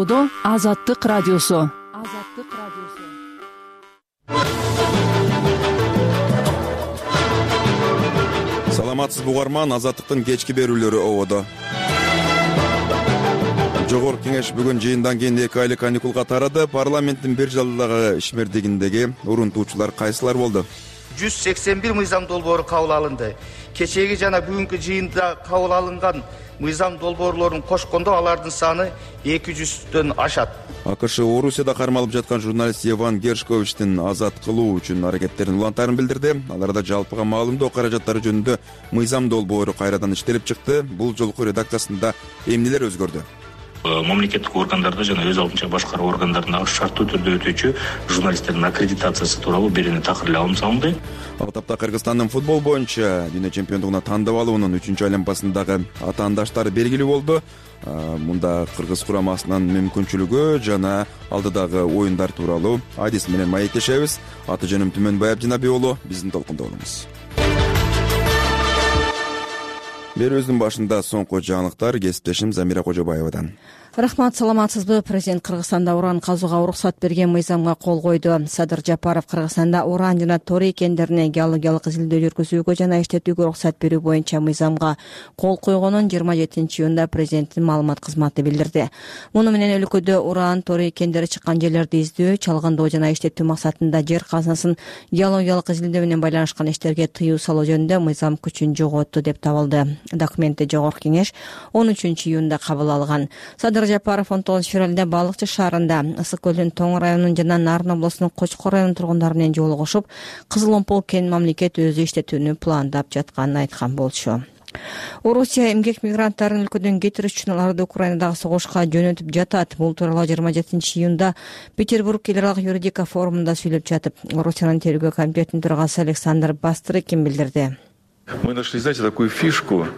Ободо Азаттык радиосу. Саламатсыз угарман, Азаттыктын кечки берүүлөрү Ободо. Жогорку кеңеш бүгүн жыйындан кийин 2 айлык каникулга тарады. Парламенттин бир жылдагы ишмердигиндеги уруntуучулар кайсылар болду? 181 мыйзам долбоору кабыл алынды. Кечеги жана бүгүнкү жыйында кабыл алынган мыйзам долбоорлорун кошкондо алардын саны 200дөн ашат. АКШ Орусияда кармалып жаткан журналист Иван Гершковичтин азат кылуу үчүн аракеттерин улантарын билдирди. Аларда жалпыга маалымдоо каражаттары жөнүндө мыйзам долбоору кайрадан иштелип чыкты. Бул жолку редакциясында эмнелер өзгөрдү? Мамлекеттик органдарда жана өз алдынча башкаруу органдарында шарттуу түрдө өтүүчү журналисттердин аккредитациясы тууралуу бирини такырылуу алым салынды. Ал тапта Кыргызстандын футбол боюнча дүйнө чемпиондугуна тандап алуунун 3-чү айланпасындагы атаандаштары белгилүү болду. Мында кыргыз курамасынын мүмкүнчүлүгү жана алдыдагы оюндар тууралуу адис менен маектешебиз. Аты жөнүм Түмөнбай Абдинаби уулу, биздин толкунда болуңуз. Берүүбүздүн башында соңку жаңылыктар кесиптешим Замира Кожобаевадан. Рахмат, саламатсызбы? Президент Кыргызстанда уран казууга уруксат берген мыйзамга кол койду. Садыр Жапаров Кыргызстанда уран жана торий кендерине геологиялык изилдөө жүргүзүүгө жана иштетүүгө уруксат берүү боюнча мыйзамга кол койгонун 27-июнда президенттин маалымат кызматы билдирди. Муну менен өлкөдө уран, торий кендери чыккан жерлерди издөө, чалгындоо жана иштетүү максатында жер казынасын геологиялык изилдөө менен байланышкан иштерге тыюу салуу жөнүндө мыйзам күчүн жоготту деп табылды. Документти Жогорку кеңеш 13-июнда кабыл алган. Садыр Жапаров 19 февралда Балыкчы шаарында Ысык көлдүн Тоң районунун жана Нарын облусунун Кочкор районунун тургундары менен жолугушуп, Кызыл Омпол кен мамлекет өзү иштетүүнү пландап жатканын айткан болчу. Орусия эмгек мигранттарын өлкөдөн кетириш үчүн аларды Украинадагы согушка жөнөтүп жатат. Бул тууралуу 27-июнда Петербург эларалык юридика форумунда сүйлөп жатып, Орусиянын тергөө комитетинин төрагасы Александр Бастрыкин билдирди. Мы нашли, знаете, такую фишку.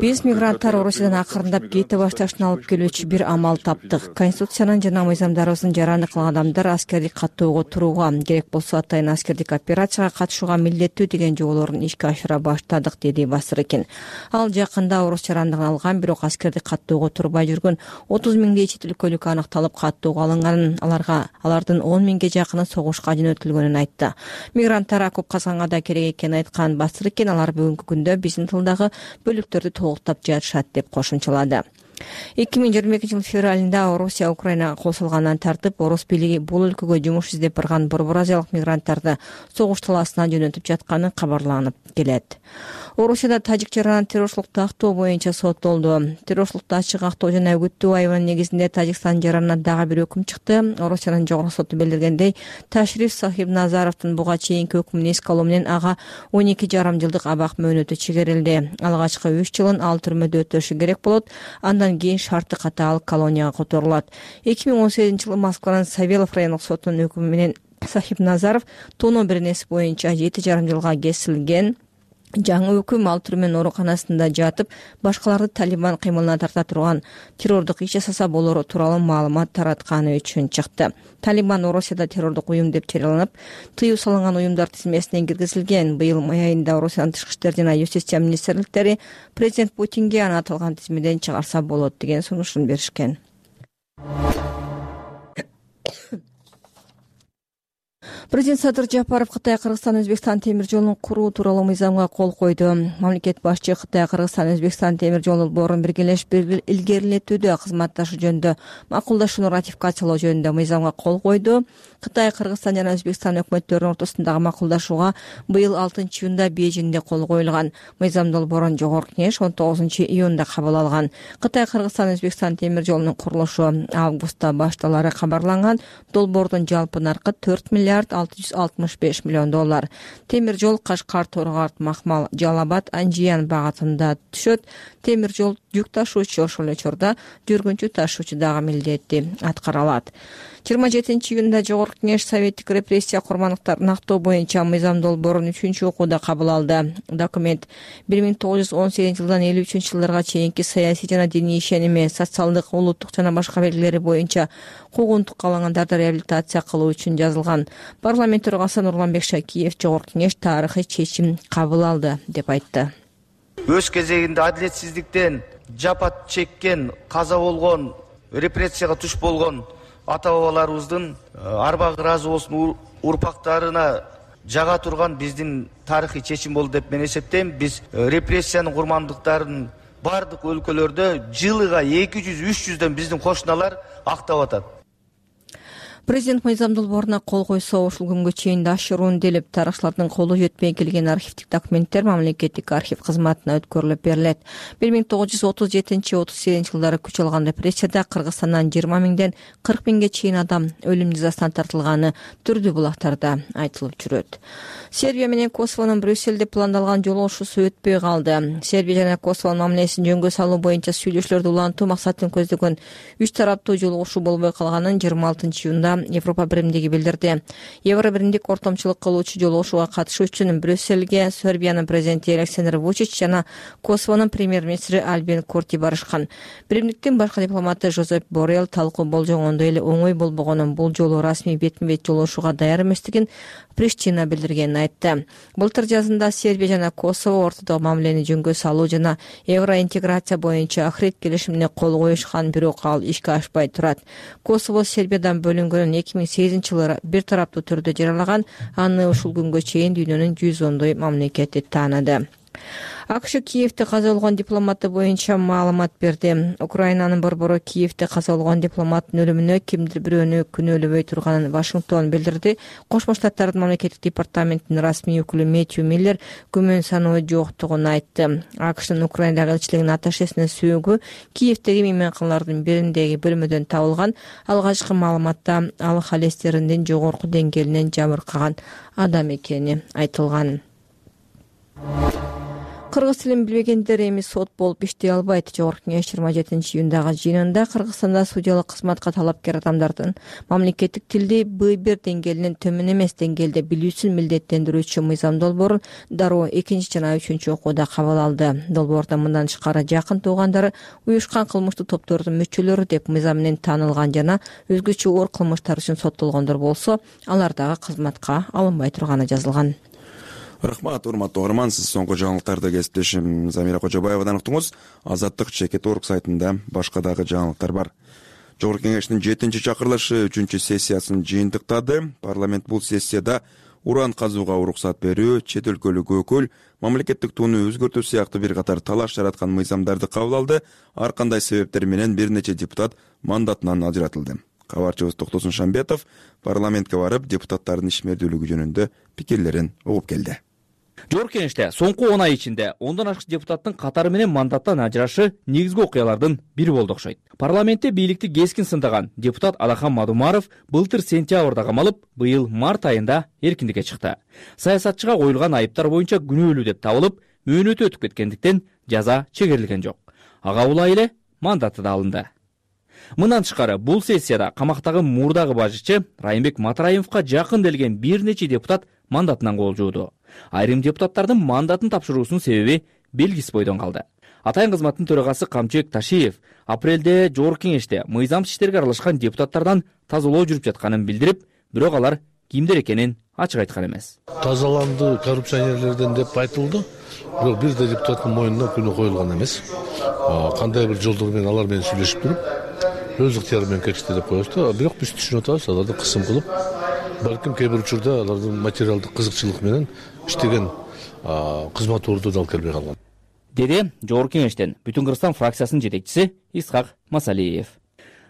Биз мигранттар Орусиядан акырындап кете башташын алып келүүчү бир амал таптык. Конституциянын жана мыйзамдарыбыздын жараны кылган адамдар аскердик каттоого турууга, керек болсо атайын аскердик операцияга катышууга милдеттүү деген жоболорун ишке ашыра баштадык, деди Басрыкин. Ал жакында орус жарандыгын алган, бирок аскердик каттоого турбай жүргөн 30 миңдей чет өлкөлүк аныкталып каттоого алынганын, алардын 10 миңге жакыны согушка жөнөтүлгөнүн айтты. Мигранттар окоп казганга да керек экенин айткан Басрыкин, алар бүгүнкү күндө биздин тылдагы бөлүктөрдү толуктап жатышат деп кошумчалады. 2022 жыл февралында Орусия Украинага кол салгандан тартып, орус бийлиги бул өлкөгө жумуш издеп барган Борбор Азиялык мигранттарды согуш талаасына жөнөтүп жатканы кабарланып келет. Орусияда тажик жаранын террорчулукту актоо боюнча соттолду. Террорчулукту ачык актоо жана үгүттөө айыбынын негизинде Тажикстан жаранына дагы бир өкүм чыкты. Орусиянын жогорку соту билдиргендей, Ташриф Сахибназаровдун буга чейинки өкүмүн эске алуу менен ага 12,5 жылдык абак мөөнөтү чегерилди. Алгачкы 3 жылын ал түрмөдө өтөшү керек болот. Андан кийин шарты катаал колонияга которулат. 2018 жылы Москванын Савелов райондук сотунун өкүмү менен Сахибназаров тоноо беренеси боюнча 7,5 жылга кесилген. Жаңы өкүм ал түрмөнүн ооруканасында жатып, башкаларды Талибан кыймылына тарта турган террордук иш жасаса болору тууралуу маалымат таратканы үчүн чыкты. Талибан Орусияда террордук уюм деп жарыяланып, тыюу салынган уюмдар тизмесине киргизилген. Быйыл май айында Орусиянын тышкы иштер жана юстиция министрликтери президент Путинге аны аталган тизмеден чыгарса болот деген сунушун беришкен. Президент Садыр Жапаров Кытай, Кыргызстан, Өзбекстан темир жолун куруу тууралуу мыйзамга кол койду. Мамлекет башчы Кытай, Кыргызстан, Өзбекстан темир жол долбоорун биргелешип илгерилетүүдө кызматташуу жөнүндө макулдашууну ратификациялоо жөнүндө мыйзамга кол койду. Кытай, Кыргызстан жана Өзбекстан өкмөттөрүнүн ортосундагы макулдашууга быйыл 6-июнда Бейжиңде кол коюлган. Мыйзам долбоорун Жогорку кеңеш 19-июнда кабыл алган. Кытай, Кыргызстан, Өзбекстан темир жолунун курулушу августта башталары кабарланган. Долбоордун жалпы наркы 4 миллиард 665 миллион доллар. Темир жол Кашкар, Торгорт, Махмал, Жалабад, Анжиян багытында түшөт. Темир жол жүк ташуучу ошол эле учурда жүргүнчү ташуучу дагы милдетти аткара алат. 27-июнда Жогорку кеңеш советтик репрессия курмандыктарын актоо боюнча мыйзам долбоорун 3-чү окууда кабыл алды. Документ 1918 жылдан 53 жылдарга чейинки саясий жана диний ишеними, социалдык, улуттук жана башка белгилери боюнча куугунтукка алынгандарды реабилитация кылуу үчүн жазылган. Парламент төрагасы Нурланбек Шакиев Жогорку кеңеш тарыхый чечим кабыл алды деп айтты. Өз кезегинде адилетсиздиктен жапа чеккен, каза болгон репрессияга туш болгон ата бабаларыбыздын арба ыраазы болсун урпактарына жага турган биздин тарыхый чечим болду деп мен эсептейм. Биз репрессиянын курмандыктарын бардык өлкөлөрдө жылыга 200-300дөн биздин кошуналар актап атат. Президент мыйзам долбооруна кол койсо ушул күнгө чейин да ашыруунделип, тарыхчылардын колу жетпей келген архивдик документтер мамлекеттик архив кызматына өткөрүлүп берилет. 1937-38 жылдары күч алган репрессияда Кыргызстандан 20 миңден 40 миңге чейин адам өлүм жазасына тартылганы түрдүү булактарда айтылып жүрөт. Сербия менен Косовонун Брюссельде пландалган жолугушуусу өтпөй калды. Сербия жана Косовонун мамилесин жөнгө салуу боюнча сүйлөшүүлөрдү улантуу максатын көздөгөн 3 тараптуу жолугушуу болбой калганын 26-июнда Европа биримдиги билдирди. Евро биримдик ортомчулук кылуучу жолугушууга катышуу үчүн Брюссельге Сербиянын президенти Александр Вучич жана Косовонун премьер-министри Альбин Курти барышкан. Биримдиктин башкы дипломаты Жозеп Боррелл талкуу болжогондой эле оңой болбогонун, бул жолу расмий бетме-бет жолугушууга даяр эместигин Приштина билдиргенин айтты. Былтыр жазында Сербия жана Косово ортодогу мамилени жөнгө салуу жана евроинтеграция боюнча ахирет келишимине кол коюшкан, бирок ал ишке ашпай турат. Косово Сербиядан бөлүнгөнүн 2008-жылы бир тараптуу түрдө жарыялаган, аны ушул күнгө чейин дүйнөнүн 110 мамлекети тааныды. АКШ Киевде каза болгон дипломаты боюнча маалымат берди. Украинанын борбору Киевде каза болгон дипломаттын өлүмүнө кимдир бирөөнү күнөөлөбөй турганын Вашингтон билдирди. Кошмо Штаттардын мамлекеттик департаментинин расмий өкүлү Мэтью Миллер күмөн саноо жоктугун айтты. АКШнын Украинадагы элчилигинин атташесинин сөөгү Киевдеги мейманканалардын бириндеги бөлмөдөн табылган. Алгачкы маалыматта ал холестериндин жогорку деңгээлинен жабыркаган адам экени айтылган. Кыргыз тилин билбегендер эми сот болуп иштей албайт. Жогорку кеңеш 27-июндагы жыйынында Кыргызстанда судьялык кызматка талапкер адамдардын мамлекеттик тилди Б1 деңгээлинен төмөн эмес деңгээлде билүүсүн милдеттендирүүчү мыйзам долбоорун дароо 2 жана 3 окууда кабыл алды. Долбоордо мындан тышкары жакын туугандары, уюшкан кылмыштуу топтордун мүчөлөрү деп мыйзам менен таанылган жана өзгөчө оор кылмыштар үчүн соттолгондор болсо, алар дагы кызматка алынбай турганы жазылган. Рахмат, урматтуу угарман, сиз соңку жаңылыктарды кесиптешим Замира Кожобаевадан уктуңуз. Азаттык Чекет.org сайтында башка дагы жаңылыктар бар. Жогорку кеңештин 7-чакырылышы 3-сессиясын жыйынтыктады. Парламент бул сессияда уран казууга уруксат берүү, чет өлкөлүк өкүл, мамлекеттик тууну өзгөртүү сыяктуу бир катар талаш жараткан мыйзамдарды кабыл алды. Ар кандай себептер менен бир нече депутат мандатынан ажыратылды. Кабарчыбыз Токтосун Шамбетов парламентке барып, депутаттардын ишмердүүлүгү жөнүндө пикирлерин угуп келди. Жогорку кеңеште соңку 10 ай ичинде 10дан ашык депутаттын катары менен мандаттан ажырашы негизги окуялардын бири болду окшойт. Парламентте бийликти кескин сындаган депутат Адахан Мадумаров былтыр сентябрда камалып, быйыл март айында эркиндикке чыкты. Саясатчыга коюлган айыптар боюнча күнөөлүү деп табылып, мөөнөтү өтүп кеткендиктен жаза чегерилген жок. Ага улай эле мандаты да алынды. Мындан тышкары бул сессияда камактагы мурдагы башчы Райымбек Матраимовго жакын делген бир нече депутат мандатынан кол жууду. Айрым депутаттардын мандатын тапшыруусунун себеби белгисиз бойдон калды. Атайын кызматтын төрагасы Камчыбек Ташиев апрелде жогорку кеңеште мыйзам иштерге аралашкан депутаттардан тазалоо жүрүп жатканын билдирип, бирок алар кимдер экенин ачык айткан эмес. Тазаланды коррупционерлерден деп айтылды, бирок бир да депутаттын мойнуна күнөө коюлган эмес. Кандай бир жолдор менен алар менен сүйлөшүп туруп, өз ыктыяры менен кетишти деп коебузду. Бирок биз түшүнүп атабыз, аларды кысым кылып, балким кээ бир учурда алардын материалдык кызыкчылык менен иштеген кызмат ордуна алып келбей калган. Деди жогорку кеңештен Бүтүн Кыргызстан фракциясынын жетекчиси Исхак Масалиев.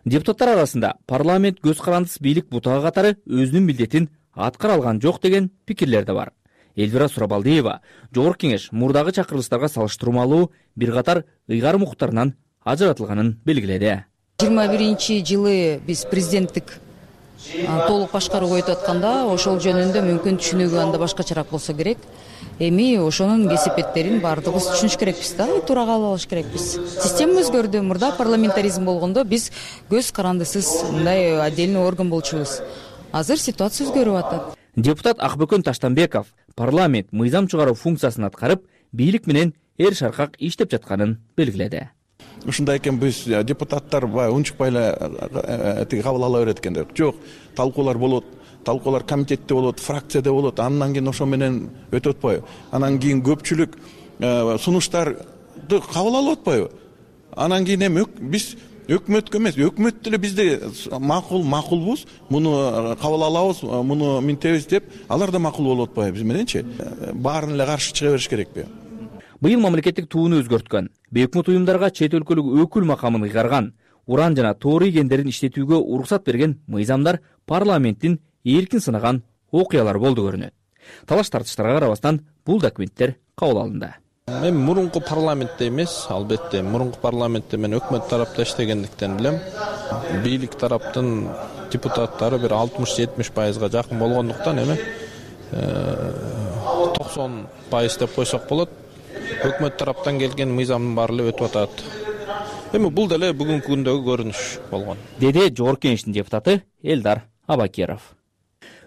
Депутаттар арасында парламент көз карандысыз бийлик бутага катары өзүнүн милдетин аткара алган жок деген пикирлер да бар. Элвира Сурабалдиева жогорку кеңеш мурдагы чакырылыштарга салыштырмалуу бир катар ыйгарым укуктарынан ажыратылганын белгиледи. 21-жылы биз президенттик толук башкарууга өтүп атканда ошол жөнүндө мүмкүн түшүнүгү анда башкачараак болсо керек. Эми ошонун кесепеттерин баардыгыбыз түшүнүш керекпиз да, туура кабыл алыш керекпиз. Система өзгөрдү. Мурда парламентаризм болгондо биз көз карандысыз мындай отдельный орган болчубуз. Азыр ситуация өзгөрүп атат. Депутат Акбөкөн Таштанбеков парламент мыйзам чыгаруу функциясын аткарып, бийлик менен эр шаркак иштеп жатканын белгиледи. Ушундай экен, биз депутаттар унчукпай эле кабыл ала берет экен. Жок, талкуулар болот. Талкуулар комитетте болот, фракцияда болот. Андан кийин ошо менен өтүп атпайбы? Анан кийин көпчүлүк сунуштарды кабыл алып атпайбы? Анан кийин эми биз өкмөткө эмес, өкмөт деле бизде макулбуз, муну кабыл алабыз, муну минтебиз деп, алар да макул болуп атпайбы биз мененчи? Баарын эле каршы чыга бериш керекпи? Быйыл мамлекеттик тууну өзгөрткөн, бейөкмөт уюмдарга чет өлкөлүк өкүл макамын ыйгарган, уран жана тоорий кендерин иштетүүгө уруксат берген мыйзамдар парламенттин эркин сынаган окуялар болду көрүнөт. Талаш тартыштарга карабастан бул документтер кабыл алынды. Мен мурунку парламентте эмес, албетте мурунку парламентте мен өкмөт тарапта иштегендиктен билем. Бийлик тараптын депутаттары бир 60-70%га жакын болгондуктан эми 90% деп койсок болот. Өкмөт тараптан келген мыйзамдын баары эле өтүп атат. Эми бул деле бүгүнкү күндөгү көрүнүш болгон. Деди Жогорку Кеңештин депутаты Элдар Абакеров.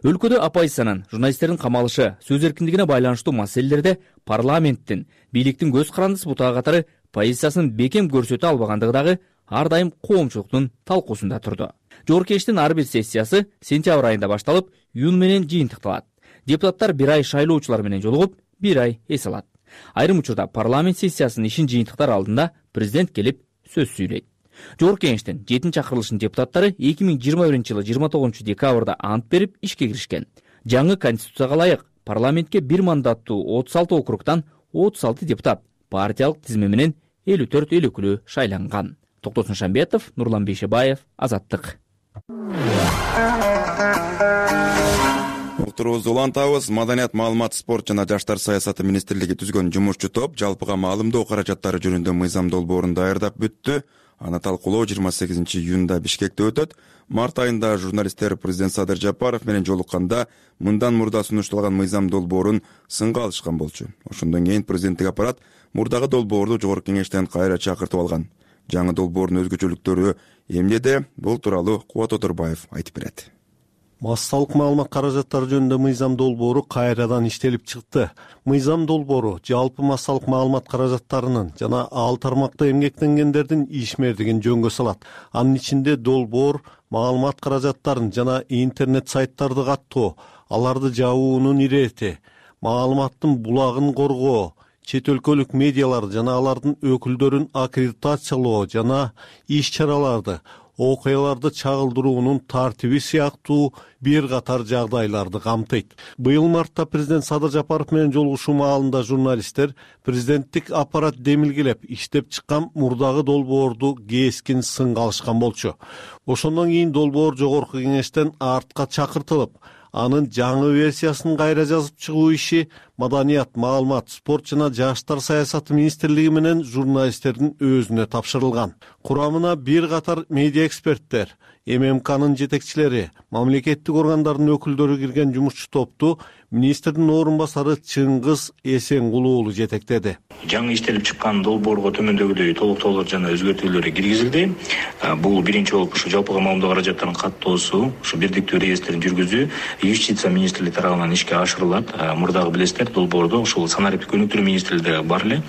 Өлкөдө оппозициянын, журналисттердин камалышы, сөз эркиндигине байланыштуу маселелерде парламенттин, бийликтин көз карандысы бутага катары позициясын бекем көрсөтө албагандыгы дагы ар дайым коомчулуктун талкуусунда турду. Жогорку Кеңештин ар бир сессиясы сентябрь айында башталып, июнь менен жыйынтыкталат. Депутаттар бир ай шайлоочулар менен жолугуп, бир ай эс алат. Айрым учурда парламент сессиясынын ишин жыйынтыктар алдында президент келип сөз сүйлөйт. Жогорку Кеңештин 7-чакырылышынын депутаттары 2021-жылы 29 декабрда ант берип ишке киришкен. Жаңы конституцияга ылайык парламентке бир мандаттуу 36 округтан 36 депутат партиялык тизме менен 54 эл өкүлү шайланган. Токтосун Шамбетов, Нурлан Бейшебаев, Азаттык. Уктурубузду улантабыз. Маданият, маалымат, спорт жана жаштар саясаты министрлиги түзгөн жумушчу топ жалпыга маалымдоо каражаттары жөнүндө мыйзам долбоорун даярдап бүттү. Аны талкуулоо 28-июнда Бишкекте өтөт. Март айында журналисттер президент Садыр Жапаров менен жолукканда мындан мурда сунушталган мыйзам долбоорун сынга алышкан болчу. Ошондон кийин президенттик аппарат мурдагы долбоорду Жогорку Кеңештен кайра чакыртып алган. Жаңы долбоордун өзгөчөлүктөрү эмнеде? Бул тууралуу Кубат Отурбаев айтып берет. Массалык маалымат каражаттары жөнүндө мыйзам долбоору кайрадан иштелип чыкты. Мыйзам долбоору жалпы массалык маалымат каражаттарынын жана ал тармакта эмгектенгендердин ишмердигин жөнгө салат. Анын ичинде долбоор маалымат каражаттарын жана интернет сайттарды каттоо, аларды жабуунун ирети, маалыматтын булагын коргоо, чет өлкөлүк медиаларды жана алардын өкүлдөрүн аккредитациялоо жана иш-чараларды, окуяларды чагылдыруунун тартиби сыяктуу бир катар жагдайларды камтыйт. Быйыл мартта президент Садыр Жапаров менен жолугушуу маалында журналисттер президенттик аппарат демилгелеп иштеп чыккан мурдагы долбоорду кескин сынга алышкан болчу. Ошондон кийин долбоор Жогорку Кеңештен артка чакыртылып, анын жаңы версиясын кайра жазып чыгуу иши Маданият, маалымат, спорт жана жаштар саясаты министрлиги менен журналисттердин өзүнө тапшырылган. Курамына бир катар медиа эксперттер, ММКнын жетекчилери, мамлекеттик органдардын өкүлдөрү кирген жумушчу топту министрдин орун басары Чыңгыз Эсенгул уулу жетектеди. Жаңы иштелип чыккан долбоорго төмөндөгүдөй толуктоолор жана өзгөртүүлөр киргизилди. Бул биринчи болуп ушу жалпыга маалымдоо каражаттарынын каттоосу, ушу бирдиктүү реестрин жүргүзүү юстиция министрлиги тарабынан ишке ашырылат. Мурдагы билесиздер, долбоордо ушул санариптик өнүктүрүү министрлиги бар эле.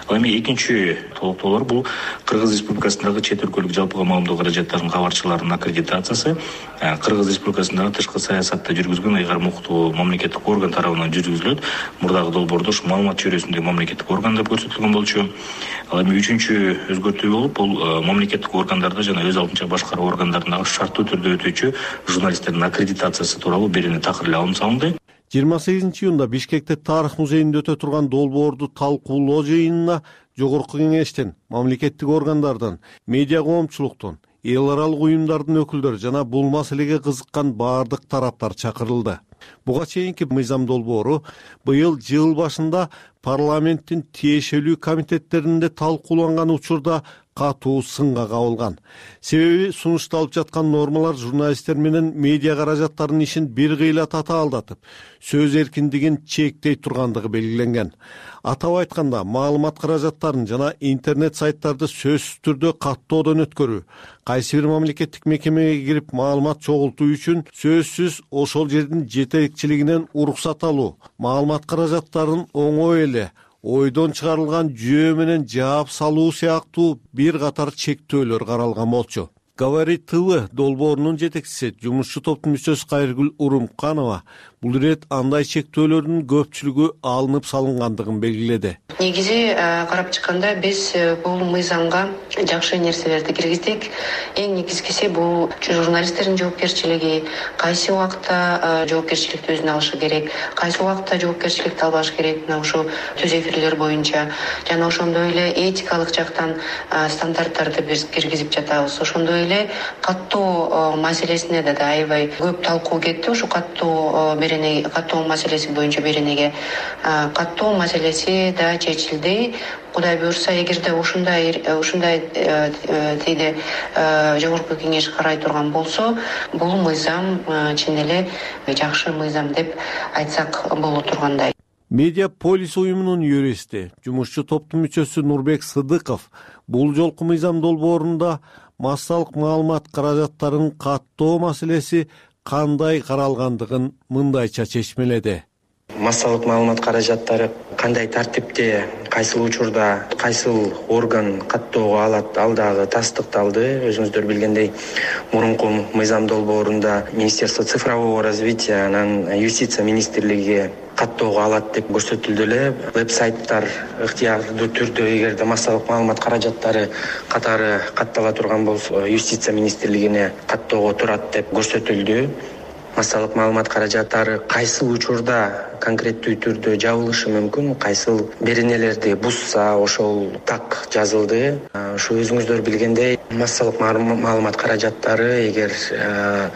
Ал эми экинчи толуктоолор бул Кыргыз Республикасындагы чет өлкөлүк жалпыга маалымдоо каражаттарынын кабарчыларынын аккредитациясы, Кыргыз Республикасындагы тышкы саясатты жүргүзгөн ыйгарым укуктуу мамлекеттик орган тарабынан жүргүзүлөт. Мурдагы долбоордо ушу маалымат чөйрөсүндөгү мамлекеттик орган деп көрсөтүлгөн болчу. Ал эми үчүнчү өзгөртүү болуп, бул мамлекеттик органдарда жана өз алдынча башкаруу органдарындагы шарттуу түрдө өтүүчү журналисттердин аккредитациясы тууралуу берүүнү такыр эле алым салынды. 28-июнда Бишкекте тарых музейинде өтө турган долбоорду талкуулоо жыйынына Жогорку Кеңештен, мамлекеттик органдардан, медиа коомчулуктун, эл аралык уюмдардын өкүлдөрү жана бул маселеге кызыккан баардык тараптар чакырылды. Буга чейинки мыйзам долбоору быйыл жыл башында парламенттин тиешелүү комитеттеринде талкууланган учурда катуу сынга кабылган. Себеби сунушталып жаткан нормалар журналисттер менен медиа каражаттарынын ишин бир кыйла татаалдатып, сөз эркиндигин чектей тургандыгы белгиленген. Атап айтканда, маалымат каражаттарын жана интернет сайттарды сөзсүз түрдө каттоодон өткөрүү, кайсы бир мамлекеттик мекемеге кирип маалымат чогултуу үчүн сөзсүз ошол жердин жетекчилигинен уруксат алуу, маалымат каражаттарын оңой эле ойдон чыгарылган жүйө менен жаап салуу сыяктуу бир катар чектөөлөр каралган болчу. Говорит ТВ долбоорунун жетекчиси, жумушчу топтун мүчөсү Кайыргүл Урумканова бул ирет андай чектөөлөрдүн көпчүлүгү алынып салынгандыгын белгиледи. Негизи карап чыкканда биз бул мыйзамга жакшы нерселерди киргиздик. Эң негизгиси бул журналисттердин жоопкерчилиги, кайсы убакта жоопкерчиликти өзүнө алышы керек, кайсы убакта жоопкерчиликти албаш керек, мына ушул түз эфирлер боюнча жана ошондой эле этикалык жактан стандарттарды биз киргизип жатабыз. Ошондой эле каттоо маселесине да аябай көп талкуу кетти. Ушу каттоо маселеси боюнча беренеге каттоо маселеси да чечилди. Кудай буюрса, эгерде ушундай тийде жогорку кеңеш карай турган болсо, бул мыйзам чын эле жакшы мыйзам деп айтсак боло тургандай. Медиаполис уюмунун юристи, жумушчу топтун мүчөсү Нурбек Сыдыков бул жолку мыйзам долбоорунда массалык маалымат каражаттарын каттоо маселеси кандай каралгандыгын мындайча чечмеледи. Массалык маалымат каражаттары кандай тартипте, кайсыл учурда, кайсыл орган каттоого алат, ал дагы тастыкталды. Өзүңүздөр билгендей, мурунку мыйзам долбоорунда Министерство цифрового развития анан Юстиция министрлиги каттоого алат деп көрсөтүлдү эле. Веб-сайттар ыктыярдуу түрдө эгерде массалык маалымат каражаттары катары каттала турган болсо, Юстиция министрлигине каттоого турат деп көрсөтүлдү. Массалык маалымат каражаттары кайсыл учурда конкреттүү түрдө жабылышы мүмкүн, кайсыл беренелерди бузса, ошол так жазылды. Ушу өзүңүздөр билгендей, массалык маалымат каражаттары эгер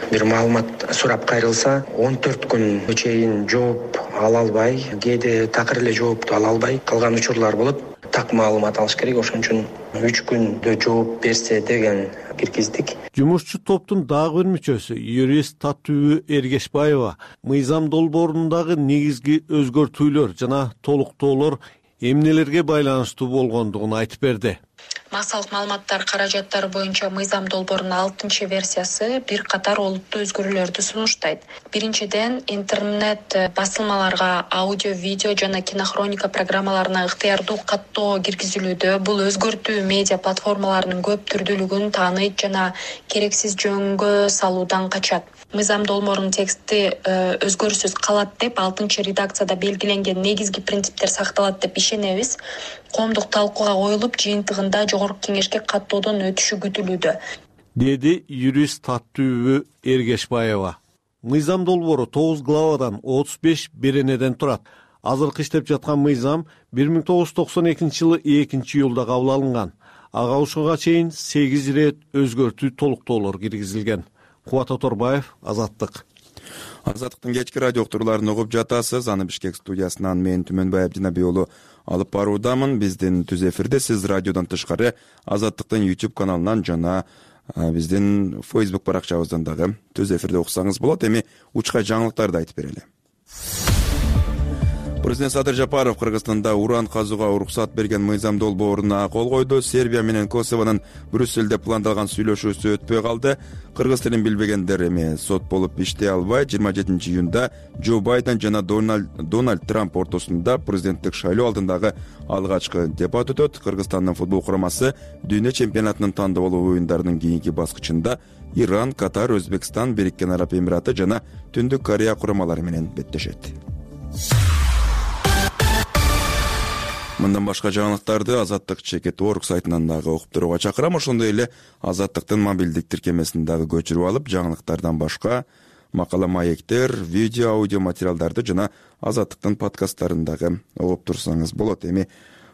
бир маалымат сурап кайрылса, 14 күнгө чейин жооп ала албай, кээде такыр эле жоопту ала албай калган учурлар болот. Так маалымат алыш керек, ошон үчүн 3 күндө жооп берсе деген киргиздик. Жумушчу топтун дагы бир мүчөсү, юрист Татүбү Эргешбаева, мыйзам долбоорундагы негизги өзгөртүүлөр жана толуктоолор эмнелерге байланыштуу болгондугун айтып берди. Массалык маалыматтар каражаттары боюнча мыйзам долбоорунун 6-версиясы бир катар олуттуу өзгөрүүлөрдү сунуштайт. Биринчиден, интернет басылмаларга аудио, видео жана кинохроника программаларына ыктыярдуу каттоо киргизилүүдө. Бул өзгөртүү медиа платформаларынын көп түрдүүлүгүн тааныйт жана керексиз жөнгө салуудан качат. Мыйзам долбоорунун тексти өзгөрүүсүз калат деп 6-редакцияда белгиленген негизги принциптер сакталат деп ишенебиз. Коомдук талкууга коюлуп, жыйынтыгында жогорку кеңешке каттоодон өтүшү күтүлүүдө, деди юрист Татүбү Эргешбаева. Мыйзам долбоору 9 главадан 35 беренеден турат. Азыркы иштеп жаткан мыйзам 1992-жылы 2-июлда кабыл алынган. Ага ушуга чейин 8 ирет өзгөртүү толуктоолор киргизилген. Кубат Оторбаев, Азаттык. Азаттыктын кечки радио уктурууларын угуп жатасыз. Аны Бишкек студиясынан мен Түмөнбай Абдинабий уулу алып баруудамын. Биздин түз эфирде сиз радиодон тышкары Азаттыктын YouTube каналынан жана биздин Facebook баракчабыздан дагы түз эфирде уксаңыз болот. Эми учка жаңылыктарды айтып берели. Президент Садыр Жапаров Кыргызстанда уран казууга уруксат берген мыйзам долбооруна кол койду. Сербия менен Косовонун Брюссельде пландалган сүйлөшүүсү өтпөй калды. Кыргыз тилин билбегендер эми сот болуп иштей албай, 27-июнда Джо Байден жана Дональд Трамп ортосунда президенттик шайлоо алдындагы алгачкы дебат өтөт. Кыргызстандын футбол курамасы дүйнө чемпионатынын тандоолуу оюндарынын кийинки баскычында Иран, Катар, Өзбекстан, Бириккен Араб Эмираты жана Түндүк Корея курамалары менен беттешет. Мындан башка жаңылыктарды Азаттык Чекет.org сайтынан дагы окуп турууга чакырам. Ошондой эле Азаттыктын мобилдик тиркемесин дагы көчүрүп алып, жаңылыктардан башка макала маектер, видео, аудио материалдарды жана Азаттыктын подкасттарын дагы угуп турсаңыз болот. Эми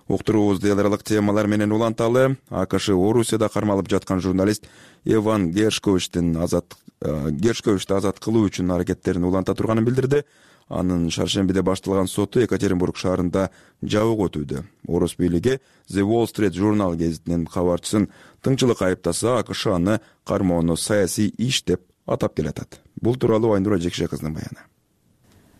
уктуруубузду эл аралык темалар менен уланталы. АКШ Орусияда кармалып жаткан журналист Иван Гершковичти азат кылуу үчүн аракеттерин уланта турганын билдирди. Анын шаршембиде башталган соту Екатеринбург шаарында жабык өтүүдө. Орус бийлиги The Wall Street Journal гезитинин кабарчысын тыңчылык айыптаса, АКШ аны кармоону саясий иш деп атап келатат. Бул тууралуу Айнура Жекше кыздын баяны.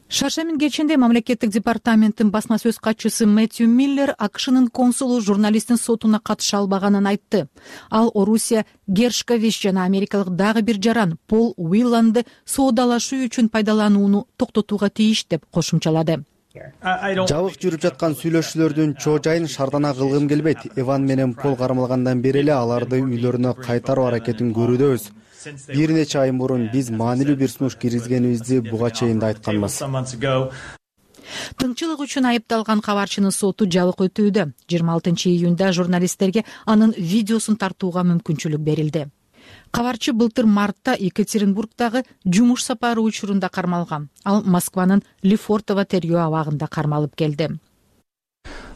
Шаршембин кечинде мамлекеттик департаменттин басма сөз катчысы Мэтью Миллер АКШнын консулу журналисттин сотуна катыша албаганын айтты. Ал Орусия Гершкович жана америкалык дагы бир жаран Пол Уилланды соодалашуу үчүн пайдаланууну токтотууга тийиш деп кошумчалады. Жабык жүрүп жаткан сүйлөшүүлөрдүн чоо жайын шаардана кылгым келбейт. Иван менен Пол кармалгандан бери эле аларды үйлөрүнө кайтаруу аракетин көрүүдөбүз. Бир нече ай мурун биз маанилүү бир сунуш киргизгенибизди буга чейин да айтканбыз. Тыңчылык үчүн айыпталган кабарчынын соту жабык өтүүдө. 26-июнда журналисттерге анын видеосун тартууга мүмкүнчүлүк берилди. Кабарчы былтыр мартта Екатеринбургдагы жумуш сапары учурунда кармалган. Ал Москванын Лефортово тергөө абагында кармалып келди.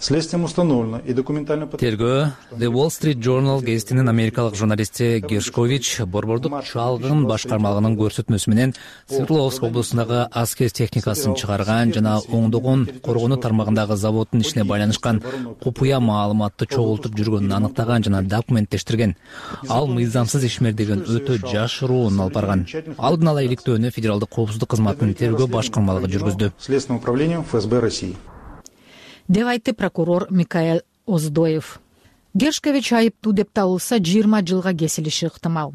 Тергөө The Wall Street Journal гезитинин америкалык журналисти Гершкович борбордук чалгын башкармалыгынын көрсөтмөсү менен Свердловск облусундагы аскер техникасын чыгарган жана оңдогон коргонуу тармагындагы заводдун ишине байланышкан купуя маалыматты чогултуп жүргөнүн аныктаган жана документтештирген. Ал мыйзамсыз ишмердигин өтө жашыруун алып барган. Алдын ала иликтөөнү Федералдык коопсуздук кызматынын тергөө башкармалыгы жүргүздү. Следственное управление ФСБ России. Деп айтты прокурор Микаэль Оздоев. Гершкович айыптуу деп табылса 20 жылга кесилиши ыктымал.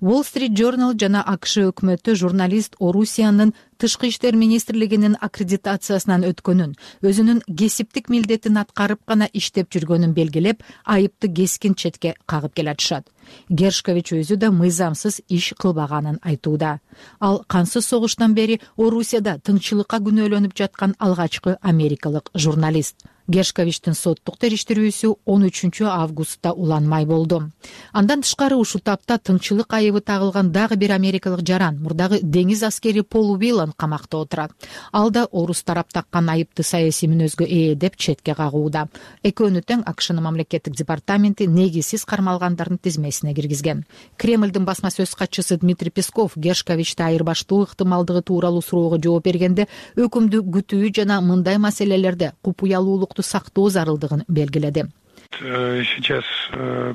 Wall Street Journal жана АКШ өкмөтү журналист Орусиянын тышкы иштер министрлигинин аккредитациясынан өткөнүн, өзүнүн кесиптик милдетин аткарып гана иштеп жүргөнүн белгилеп, айыпты кескин четке кагып келатышат. Гершкович өзү да мыйзамсыз иш кылбаганын айтууда. Ал кансыз согуштан бери Орусияда тынччылыкка күнөөлөнүп жаткан алгачкы америкалык журналист. Гершковичтин соттук териштирүүсү 13 августта уланмай болду. Андан тышкары ушул тапта тынччылык айыбы тагылган дагы бир америкалык жаран, мурдагы деңиз аскери Пол Уиллан камакта отурат. Ал да орус тарап таккан айыпты саясий мүнөзгө ээ деп четке кагууда. Экөөнү тең АКШнын мамлекеттик департаменти негизсиз кармалгандардын тизмесине киргизген. Кремлдин басма сөз катчысы Дмитрий Песков Гершковичти айырбаштоо ыктымалдыгы тууралуу суроого жооп бергенде өкүмдү күтүү жана мындай маселелерде купуялуулук сактоо зарылдыгын белгиледи. Сейчас,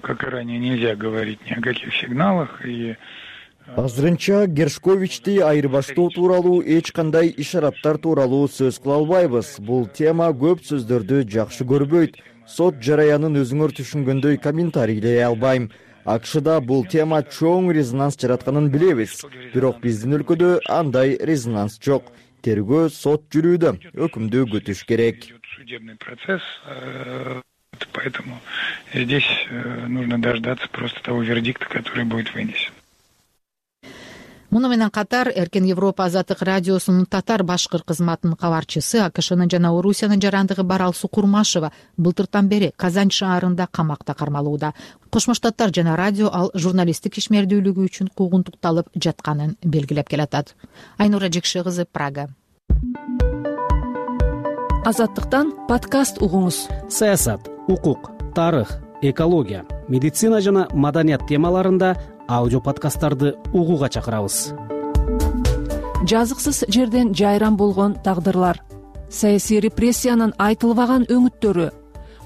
как и ранее, нельзя говорить ни о каких сигналах и азырынча Гершковичти айырбаштоо тууралуу эч кандай ишараттар тууралуу сөз кыла албайбыз. Бул тема көп сөздөрдү жакшы көрбөйт. Сот жараянын өзүңөр түшүнгөндөй комментарийлей албайм. АКШда бул тема чоң резонанс жаратканын билебиз. Бирок биздин өлкөдө андай резонанс жок. Тергөө сот жүрүүдө, өкүмдү күтүш керек. Судебный процесс, поэтому здесь нужно дождаться просто того вердикта, который будет вынесен. Муну менен катар Эркен Европа азаттык радиосунун татар башкыр кызматынын кабарчысы АКШнын жана Орусиянын жарандыгы Баралсу Курмашева былтыртан бери Казань шаарында камакта кармалууда. Кошмо Штаттар жана радио ал журналисттик ишмердүүлүгү үчүн куугунтукталып жатканын белгилеп келатат. Айнура Жекше кызы, Прага. Азаттыктан подкаст угуңуз. Саясат, укук, тарых, экология, медицина жана маданият темаларында аудио подкасттарды угууга чакырабыз. Жазыксыз жерден жайран болгон тагдырлар, саясий репрессиянын айтылбаган өңүттөрү,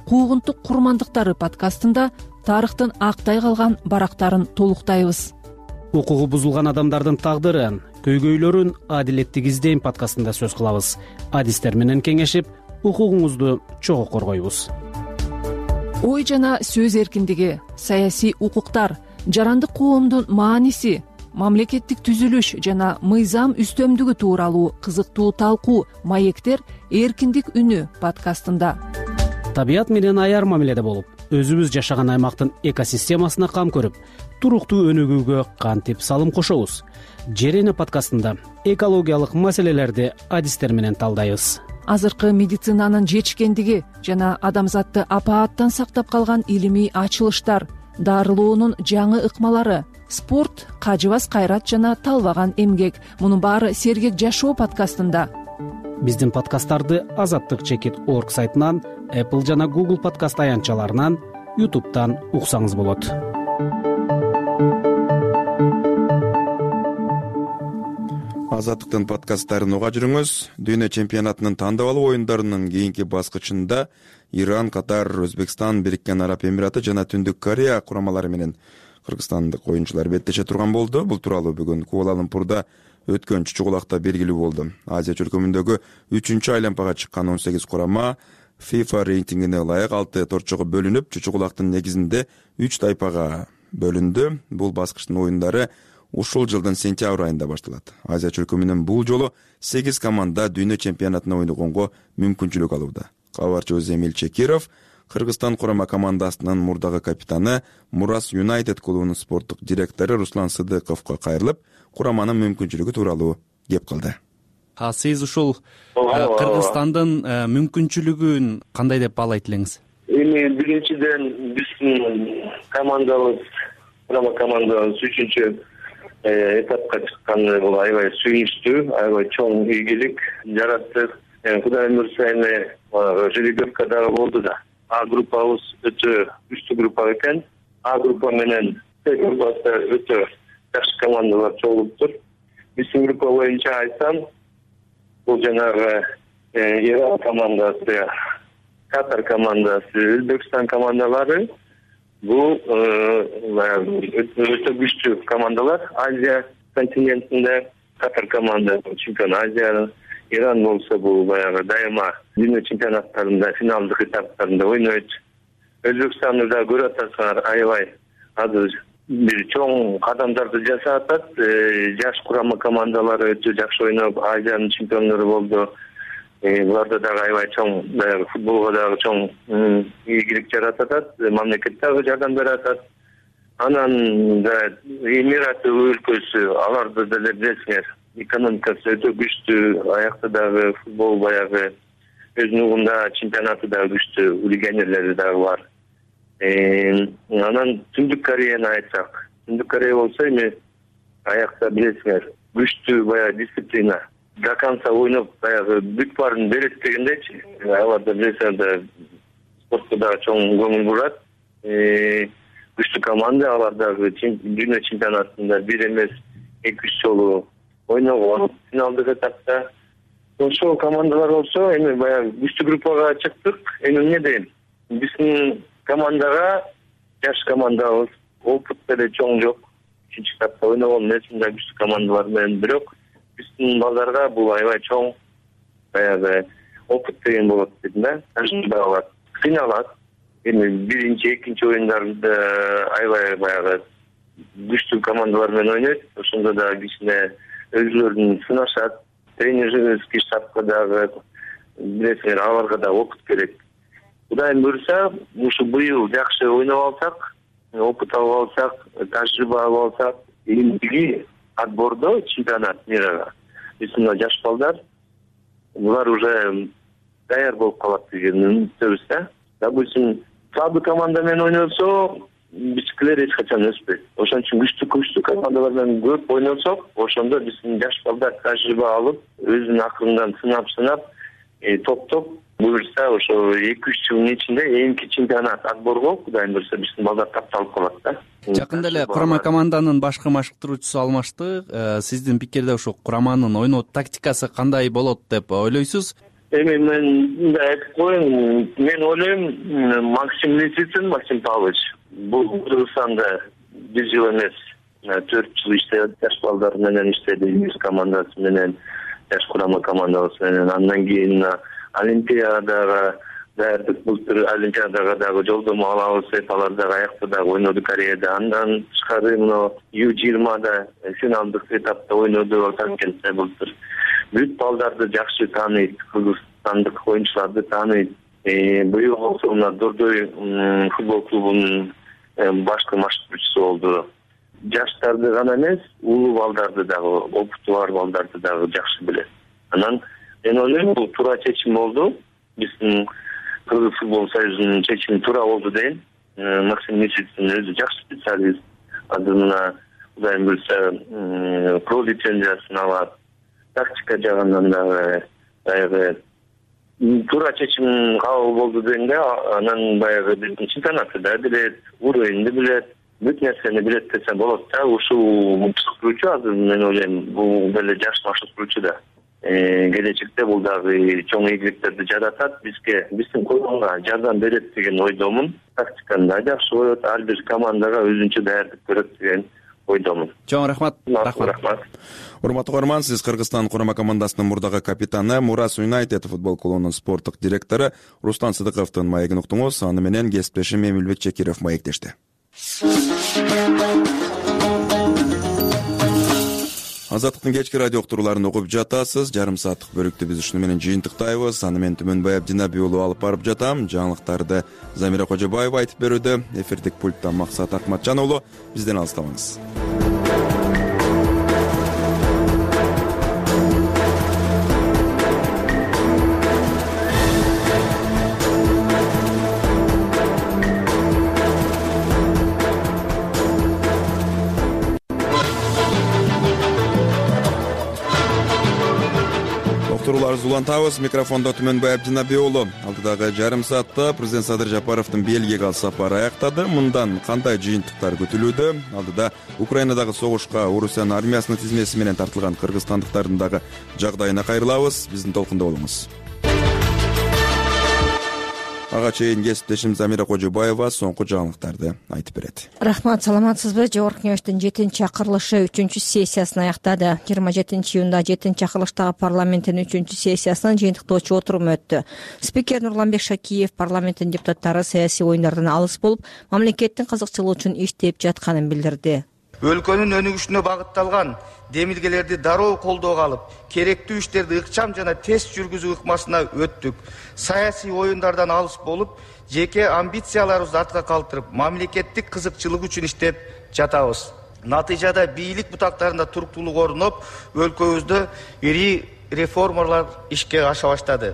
куугунтук курмандыктары подкастында тарыхтын актай калган барактарын толуктайбыз. Укугу бузулган адамдардын тагдырын, көйгөйлөрүн адилеттик издейм подкастында сөз кылабыз. Адистер менен кеңешип, укугуңузду чогуу коргойбуз. Ой жана сөз эркиндиги, саясий укуктар, жарандык коомдун мааниси, мамлекеттик түзүлүш жана мыйзам үстөмдүгү тууралуу кызыктуу талкуу, маектер эркиндик үнү подкастында. Табият менен аяр мамиледе болуп, өзүбүз жашаган аймактын экосистемасына кам көрүп, туруктуу өнүгүүгө кантип салым кошобуз. Жер эне подкастында экологиялык маселелерди адистер менен талдайбыз. Азыркы медицинанын жетишкендиги жана адамзатты апааттан сактап калган илимий ачылыштар, дарылоонун жаңы ыкмалары, спорт, кажыбас кайрат жана талбаган эмгек. Мунун баары Сергек жашоо подкастында. Биздин подкасттарды azattik.org сайтынан, Apple жана Google подкаст аянтчаларынан, YouTube'дан уксаңыз болот. Азаттыктын подкасттарын уга жүрүңүз. Дүйнө чемпионатынын тандап алуу оюндарынын кийинки баскычында Иран, Катар, Өзбекстан, Бириккен Араб Эмираты жана Түндүк Корея курамалары менен кыргызстандык оюнчулар беттеше турган болду. Бул тууралуу бүгүн Куала-Лумпурда өткөн чучугулакта белгилүү болду. Азия чөлкөмүндөгү 3-чү айланпага чыккан 18 курама FIFA рейтингине ылайык 6 торчого бөлүнүп, чучугулактын негизинде 3 тайпага бөлүндү. Бул баскычтын оюндары ушул жылдын сентябрь айында башталат. Азия чөлкө менен бул жолу 8 команда дүйнө чемпионатына ойногонго мүмкүнчүлүк алууда. Кабарчыбыз Эмиль Чекиров Кыргызстан курама командасынын мурдагы капитаны Мурас Юнайтед клубунун спорттук директору Руслан Сыдыковго кайрылып, кураманын мүмкүнчүлүгү тууралуу кеп кылды. Сиз ушул Кыргызстандын мүмкүнчүлүгүн кандай деп баалайт элеңиз? Эми биринчиден биздин командабыз, курама командабыз 3-чү этапка чыкканы бул аябай сүйүнүчтүү, аябай чоң ийгилик жараттык. Кудай буйрса эми жеребьевка дагы болду да. А группабыз өтө күчтүү группа экен. А группа менен С группасы өтө жакшы командалар чогулуптур. Биздин группа боюнча айтсам, бул жанагы Иран командасы, Катар командасы, Өзбекстан командалары бул өтө күчтүү командалар. Азия континентинде Катар команда чемпион Азия, Иран болсо бул баягы дайыма дүйнө чемпионаттарында финалдык этаптарында ойнойт. Өзбекстанды да көрүп атасыңар, аябай азыр бир чоң кадамдарды жасап атат. Жаш курама командалары өтө жакшы ойноп, Азиянын чемпиондору болду. Буларда дагы аябай чоң баягы футболго дагы чоң ийгилик жаратып атат, мамлекет дагы жардам берип атат. Анан да Эмират өлкөсү, аларды деле билесиңер, экономикасы өтө күчтүү, аякта дагы футбол баягы өзүнүн угунда чемпионаты дагы күчтүү, легионерлери дагы бар. Анан Түндүк Кореяны айтсак, Түндүк Корея болсо эми аякта билесиңер, күчтүү баягы дисциплина. До конца ойноп баягы бүт баарын берет дегендейчи. Аларда билесиңер да спортко дагы чоң көңүл бурат. Күчтүү команда, алар дагы дүйнө чемпионатында бир эмес 2-3 жолу ойногон финалдык этапта. Ошол командалар болсо эми баягы күчтүү группага чыктык. Эми эмне дейм? Биздин командага жаш командабыз, опыт деле чоң жок. 3-чү этапта ойногон эмесмин да күчтүү командалар менен, бирок биздин балдарга бул аябай чоң баягы опыт деген болот дейм да. Тажрыйба алат, кыйналат. Эми биринчи, экинчи оюндарда аябай баягы күчтүү командалар менен ойнойт. Ошондо да кичине өзүлөрүн сынашат. Тренерский штабка дагы билесиңер, аларга да опыт керек. Кудай буйрса, ушу быйыл жакшы ойноп алсак, опыт алып алсак, тажрыйба алып алсак, эмдиги отбордо чемпионат мирага биздин жаш балдар, булар уже даяр болуп калат деген үмүттөбүз да. Допустим, слабый команда менен ойносо, биздикилер эч качан өспөйт. Ошон үчүн күчтүү командалар менен көп ойносок, ошондо биздин жаш балдар тажрыйба алып, өзүнүн акырынан сынап, топтоп буйрса ошо 2-3 жылдын ичинде эмки чемпионат отборго, Кудай буйрса, биздин балдар тапталып калат да. Жакында эле курама команданын башкы машыктыруучусу алмашты. Сиздин пикирде ошо кураманын ойноо тактикасы кандай болот деп ойлойсуз? Эми мен мындай айтып коеюн, мен ойлойм, Максим Лисицын, Максим Павлович бул Кыргызстанда 1 жыл эмес, 4 жыл иштеп, жаш балдар менен иштеди, юз командасы менен, жаш курама командабыз менен. Андан кийин Олимпиадага даярдык, былтыр Олимпиадага дагы жолдомо алабыз деп, алар дагы аякта дагы ойноду Кореяда. Андан тышкары мына U20да финалдык этапта ойноду Ташкентте былтыр. Бүт балдарды жакшы тааныйт, кыргызстандык оюнчуларды тааныйт. Быйыл болсо мына Дордой футбол клубунун башкы машыктыруучусу болду. Жаштарды гана эмес, улуу балдарды дагы, опыту бар балдарды дагы жакшы билет. Анан мен ойлойм, бул туура чечим болду. Биздин Кыргыз футбол союзунун чечими туура болду дейм. Максим Лисицин өзү жакшы специалист. Азыр мына Кудай буйрса про лицензиясын алат. Тактика жагынан дагы баягы туура чечим кабыл болду дейм да. Анан баягы биздин чемпионатты да билет, уровенди билет, бүт нерсени билет десе болот да. Ушул машыктыруучу азыр мен ойлойм, бул деле жаш машыктыруучу да. Келечекте бул дагы чоң ийгиликтерди жаратат бизге, биздин клубга жардам берет деген ойдомун. Тактиканы да жакшы коет, ар бир командага өзүнчө даярдык көрөт деген ойдомун. Чоң рахмат. Рахмат. Урматтуу көрөрман, сиз Кыргызстан курама командасынын мурдагы капитаны, Мурас Юнайтед футбол клубунун спорттук директору Руслан Сыдыковдун маегин уктуңуз. Аны менен кесиптешим Эмилбек Чекиров маектешти. Азаттыктын кечки радио уктурууларын угуп жатасыз. Жарым сааттык бөлүктү биз ушуну менен жыйынтыктайбыз. Аны мен Түмөнбай Абдинабий уулу алып барып жатам. Жаңылыктарды Замира Кожобаева айтып берүүдө. Эфирдик пульттан Максат Акматжан уулу. Бизден алыстабаңыз. Уктурууларыбызды улантабыз. Микрофондо Түмөнбай Абдинабий уулу. Алдыдагы жарым саатта президент Садыр Жапаровдун Бельгияга сапары аяктады. Мындан кандай жыйынтыктар күтүлүүдө? Алдыда Украинадагы согушка Орусиянын армиясынын тизмеси менен тартылган кыргызстандыктардын дагы жагдайына кайрылабыз. Биздин толкунда болуңуз. Ага чейин кесиптешим Замира Кожобаева соңку жаңылыктарды айтып берет. Рахмат, саламатсызбы? Жогорку кеңештин 7-чакырылышы 3-сессиясын аяктады. 27-июнда 7-чакырылыштагы парламенттин 3-сессиясынын жыйынтыктоочу отуруму өттү. Спикер Нурланбек Шакиев парламенттин депутаттары саясий оюндардан алыс болуп, мамлекеттин кызыкчылыгы үчүн иштеп жатканын билдирди. Өлкөнүн өнүгүшүнө багытталган демилгелерди дароо колдоого алып, керектүү иштерди ыкчам жана тез жүргүзүү ыкмасына өттүк. Саясий оюндардан алыс болуп, жеке амбицияларыбызды артка калтырып, мамлекеттик кызыкчылык үчүн иштеп жатабыз. Натыйжада бийлик бутактарында туруктуулук орноп, өлкөбүздө ири реформалар ишке аша баштады.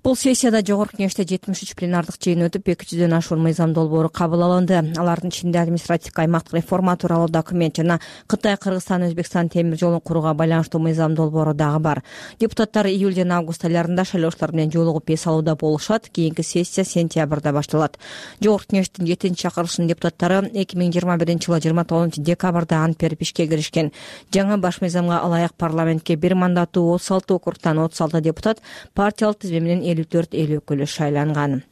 Бул сессияда жогорку кеңеште 73 пленардык жыйын өтүп, 200дөн ашуун мыйзам долбоору кабыл алынды. Алардын ичинде административдик аймактык реформа тууралуу документ жана Кытай, Кыргызстан, Өзбекстан темир жолун курууга байланыштуу мыйзам долбоору дагы бар. Депутаттар июль жана август айларында шайлоочулар менен жолугуп эс алууда болушат. Кийинки сессия сентябрда башталат. Жогорку кеңештин 7-чакырылышынын депутаттары 2021-жылы 29 декабрда ант берип ишке киришкен. Жаңы баш мыйзамга ылайык парламентке бир мандаттуу 36 округтан 36 депутат партиялык тизме менен 54 эл өкүлү шайланган.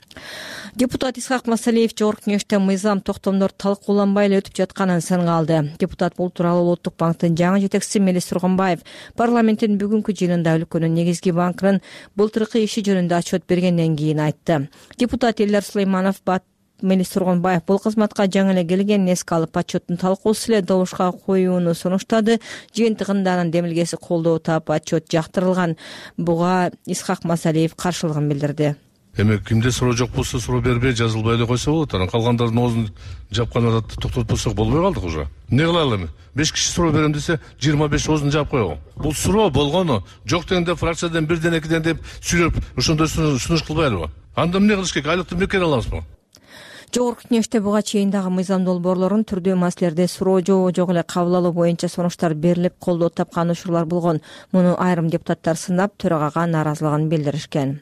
Депутат Исхак Масалиев жогорку кеңеште мыйзам токтомдор талкууланбай эле өтүп жатканын сынга алды. Депутат бул тууралуу Улуттук банктын жаңы жетекчиси Мелис Тургунбаев парламенттин бүгүнкү жыйынында өлкөнүн негизги банкынын былтыркы иши жөнүндө отчет бергенден кийин айтты. Депутат Элдар Сулейманов Мелис Тургунбаев бул кызматка жаңы эле келгенин эске алып, отчеттун талкуусу эле добушка коюуну сунуштады. Жыйынтыгында анын демилгеси колдоо таап, отчет жактырылган. Буга Исхак Масалиев каршылыгын билдирди. Эми кимде суроо жок болсо суроо бербей жазылбай эле койсо болот. Анан калгандардын оозун жапкан токтотпосок болбой калдык уже. Эмне кылалы эми? 5 киши суроо берем десе 25 оозун жаап койгон. Бул суроо болгону жок дегенде фракциядан бирден экиден деп сүйлөп ошондой сунуш кылбайлыбы? Анда эмне кылыш керек? Айлыктын бекер алабызбы? Жогорку кеңеште буга чейин дагы мыйзам долбоорлорун түрдүү маселелерде суроо жок эле кабыл алуу боюнча сунуштар берилип, колдоо тапкан учурлар болгон. Муну айрым депутаттар сынап, төрагага нааразылыгын билдиришкен.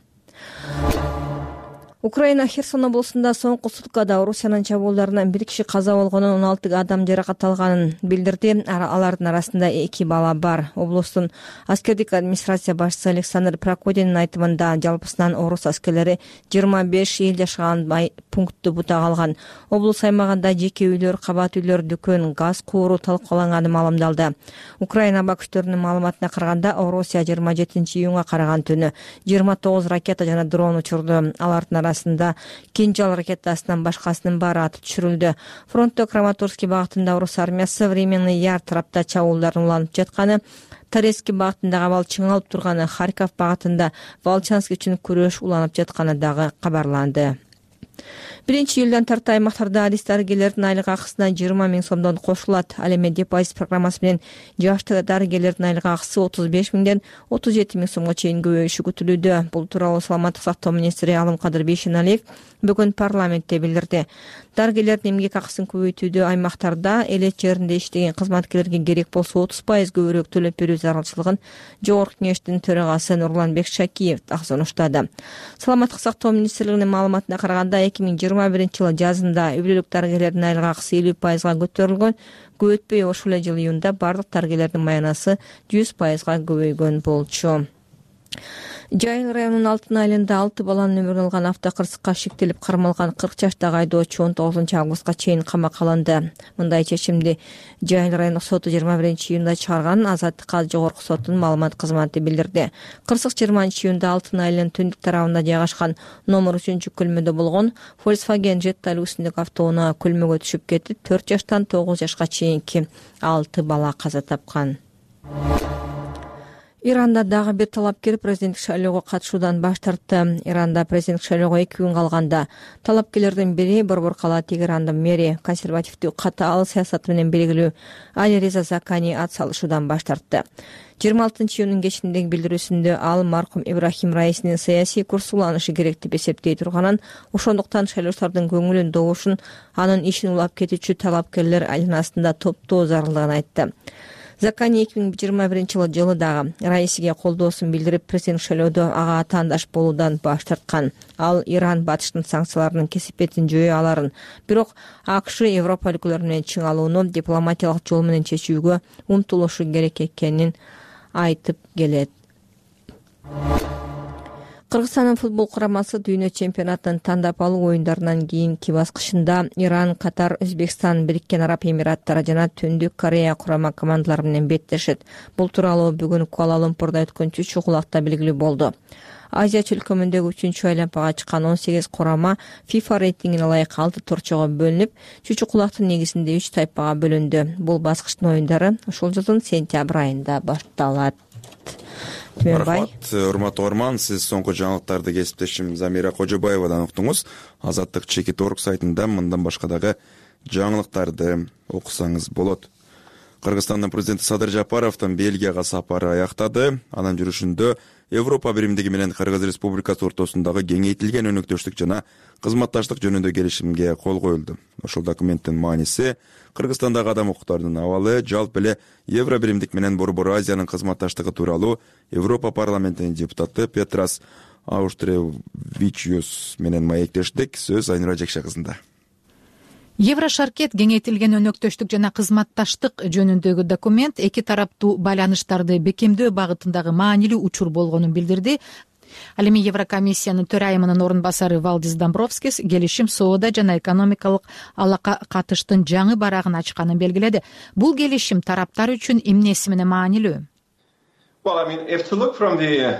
Украина Херсон облусунда соңку суткада Орусиянын чабуулдарынан 1 киши каза болгонун, 16 адам жаракат алганын билдирди. Алардын арасында 2 бала бар. Облустун аскердик администрация башчысы Александр Прокодинин айтымында жалпысынан орус аскерлери 25 эл жашаган пунктту бутак алган. Облус аймагында жеке үйлөр, кабат үйлөр, дүкөн, газ кууру талкаланганы маалымдалды. Украина аба күчтөрүнүн маалыматына караганда, Орусия 27-июнга караган түнү 29 ракета жана дрон учурду. Алардын арасында Кинжал ракетасынан башкасынын баары атып түшүрүлдү. Фронтто Краматорский багытында орус армиясы временный яр тарапта чабуулдарын уланып жатканы, Торецкий багытындагы абал чыңалып турганы, Харьков багытында Волчанск үчүн күрөш уланып жатканы дагы кабарланды. 1-июлдан тарта аймактарда адис дарыгерлердин айлык акысына 20 000 сомдон кошулат. Ал эми депозит программасы менен жашты дарыгерлердин айлык акысы 35 000ден 37 000 сомго чейин көбөйүшү күтүлүүдө. Бул тууралуу саламаттык сактоо министри Алымкадыр Бейшеналиев бүгүн парламентте билдирди. Дарыгерлердин эмгек акысын көбөйтүүдө аймактарда элет жеринде иштеген кызматкерлерге керек болсо 30% көбүрөөк төлөп берүү зарылчылыгын жогорку кеңештин төрагасы Нурланбек Шакиев сунуштады. Саламаттык сактоо министрлигинин маалыматына караганда 2021-жылы жазында үй бүлөлүк дарыгерлердин айлык акысы 50% көтөрүлгөн. Көп өтпөй ошол эле жылы июнда бардык дарыгерлердин маянасы 100% көбөйгөн болчу. Жайыл районунун Алтын айылында 6 баланын өмүрүн алган автокырсыкка шектелип кармалган 40 жаштагы айдоочу 19-августка чейин камакка алынды. Мындай чечимди Жайыл райондук соту 21-июнда чыгарган. Азаттыкка жогорку соттун маалымат кызматы билдирди. Кырсык 20-июнда Алтын айылынын түндүк тарабында жайгашкан номер 3-күлмөдө болгон Volkswagen Jetta үлгүсүндөгү автоунаа күлмөгө түшүп кетип, 4 жаштан 9 жашка чейинки 6 бала каза тапкан. Иранда дагы бир талапкер президенттик шайлоого катышуудан баш тартты. Иранда президенттик шайлоого 2 күн калганда талапкерлердин бири Борбор кала Тегерандын мэри консервативдүү катаал саясаты менен белгилүү Али Реза Закани ат салышуудан баш тартты. 26-июнун кечиндеги билдирүүсүндө ал маркум Ибрахим Раисинин саясий курс уланышы керек деп эсептей турганын, ошондуктан шайлоочулардын көңүлүн добушун, анын ишин улап кетүүчү талапкерлер айланасында топтоо зарылдыгын айтты. Закани 2021 жылы дагы Раисиге колдоосун билдирип, президент шайлоодо ага атаандаш болуудан баш тарткан. Ал Иран батыштын санкцияларынын кесепетин жөө аларын, бирок АКШ Европа өлкөлөрү менен чың алууну дипломатиялык жол менен чечүүгө умтулушу керек экенин айтып келет. Кыргызстандын футбол курамасы дүйнө чемпионатынын тандап алуу оюндарынан кийинки баскычында Иран, Катар, Өзбекстан, Бириккен Араб Эмираттары жана Түндүк Корея курама командалары менен беттешет. Бул тууралуу бүгүн Куала-Лумпурда өткөн чүчү кулакта белгилүү болду. Азия чөлкөмүндөгү 3-чү айланпага чыккан 18 курама FIFA рейтингине ылайык 6 торчого бөлүнүп, чүчү кулактын негизинде 3 тайпага бөлүндү. Бул баскычтын оюндары ушул жылдын сентябрь айында башталат. Рахмат, урматтуу Орман, сиз соңку жаңылыктарды кесиптешим Замира Кожобаевадан уктуңуз. Азаттык Чекит.org сайтында мындан башка дагы жаңылыктарды окусаңыз болот. Кыргызстандын президенти Садыр Жапаровдун Бельгияга сапары аяктады. Анын жүрүшүндө Европа биримдиги менен Кыргыз Республикасы ортосундагы кеңейтилген өнөктөштүк жана кызматташтык жөнүндө келишимге кол коюлду. Ошол документтин мааниси Кыргызстандагы адам укуктарынын абалы, жалпы эле Евро биримдик менен Борбор Азиянын кызматташтыгы тууралуу Европа парламентинин депутаты Петрас Ауштревичиус менен маектештик. Сөз Айнура Жекше кызында. Еврошаркет кеңейтилген өнөктөштүк жана кызматташтык жөнүндөгү документ эки тараптуу байланыштарды бекемдөө багытындагы маанилүү учур болгонун билдирди. Ал эми Еврокомиссиянын төрайымынын орун басары Валдис Домбровскис келишим соода жана экономикалык алака катыштын жаңы барагын ачканын белгиледи. Бул келишим тараптар үчүн эмнеси менен маанилүү? Well, I mean, if to look from the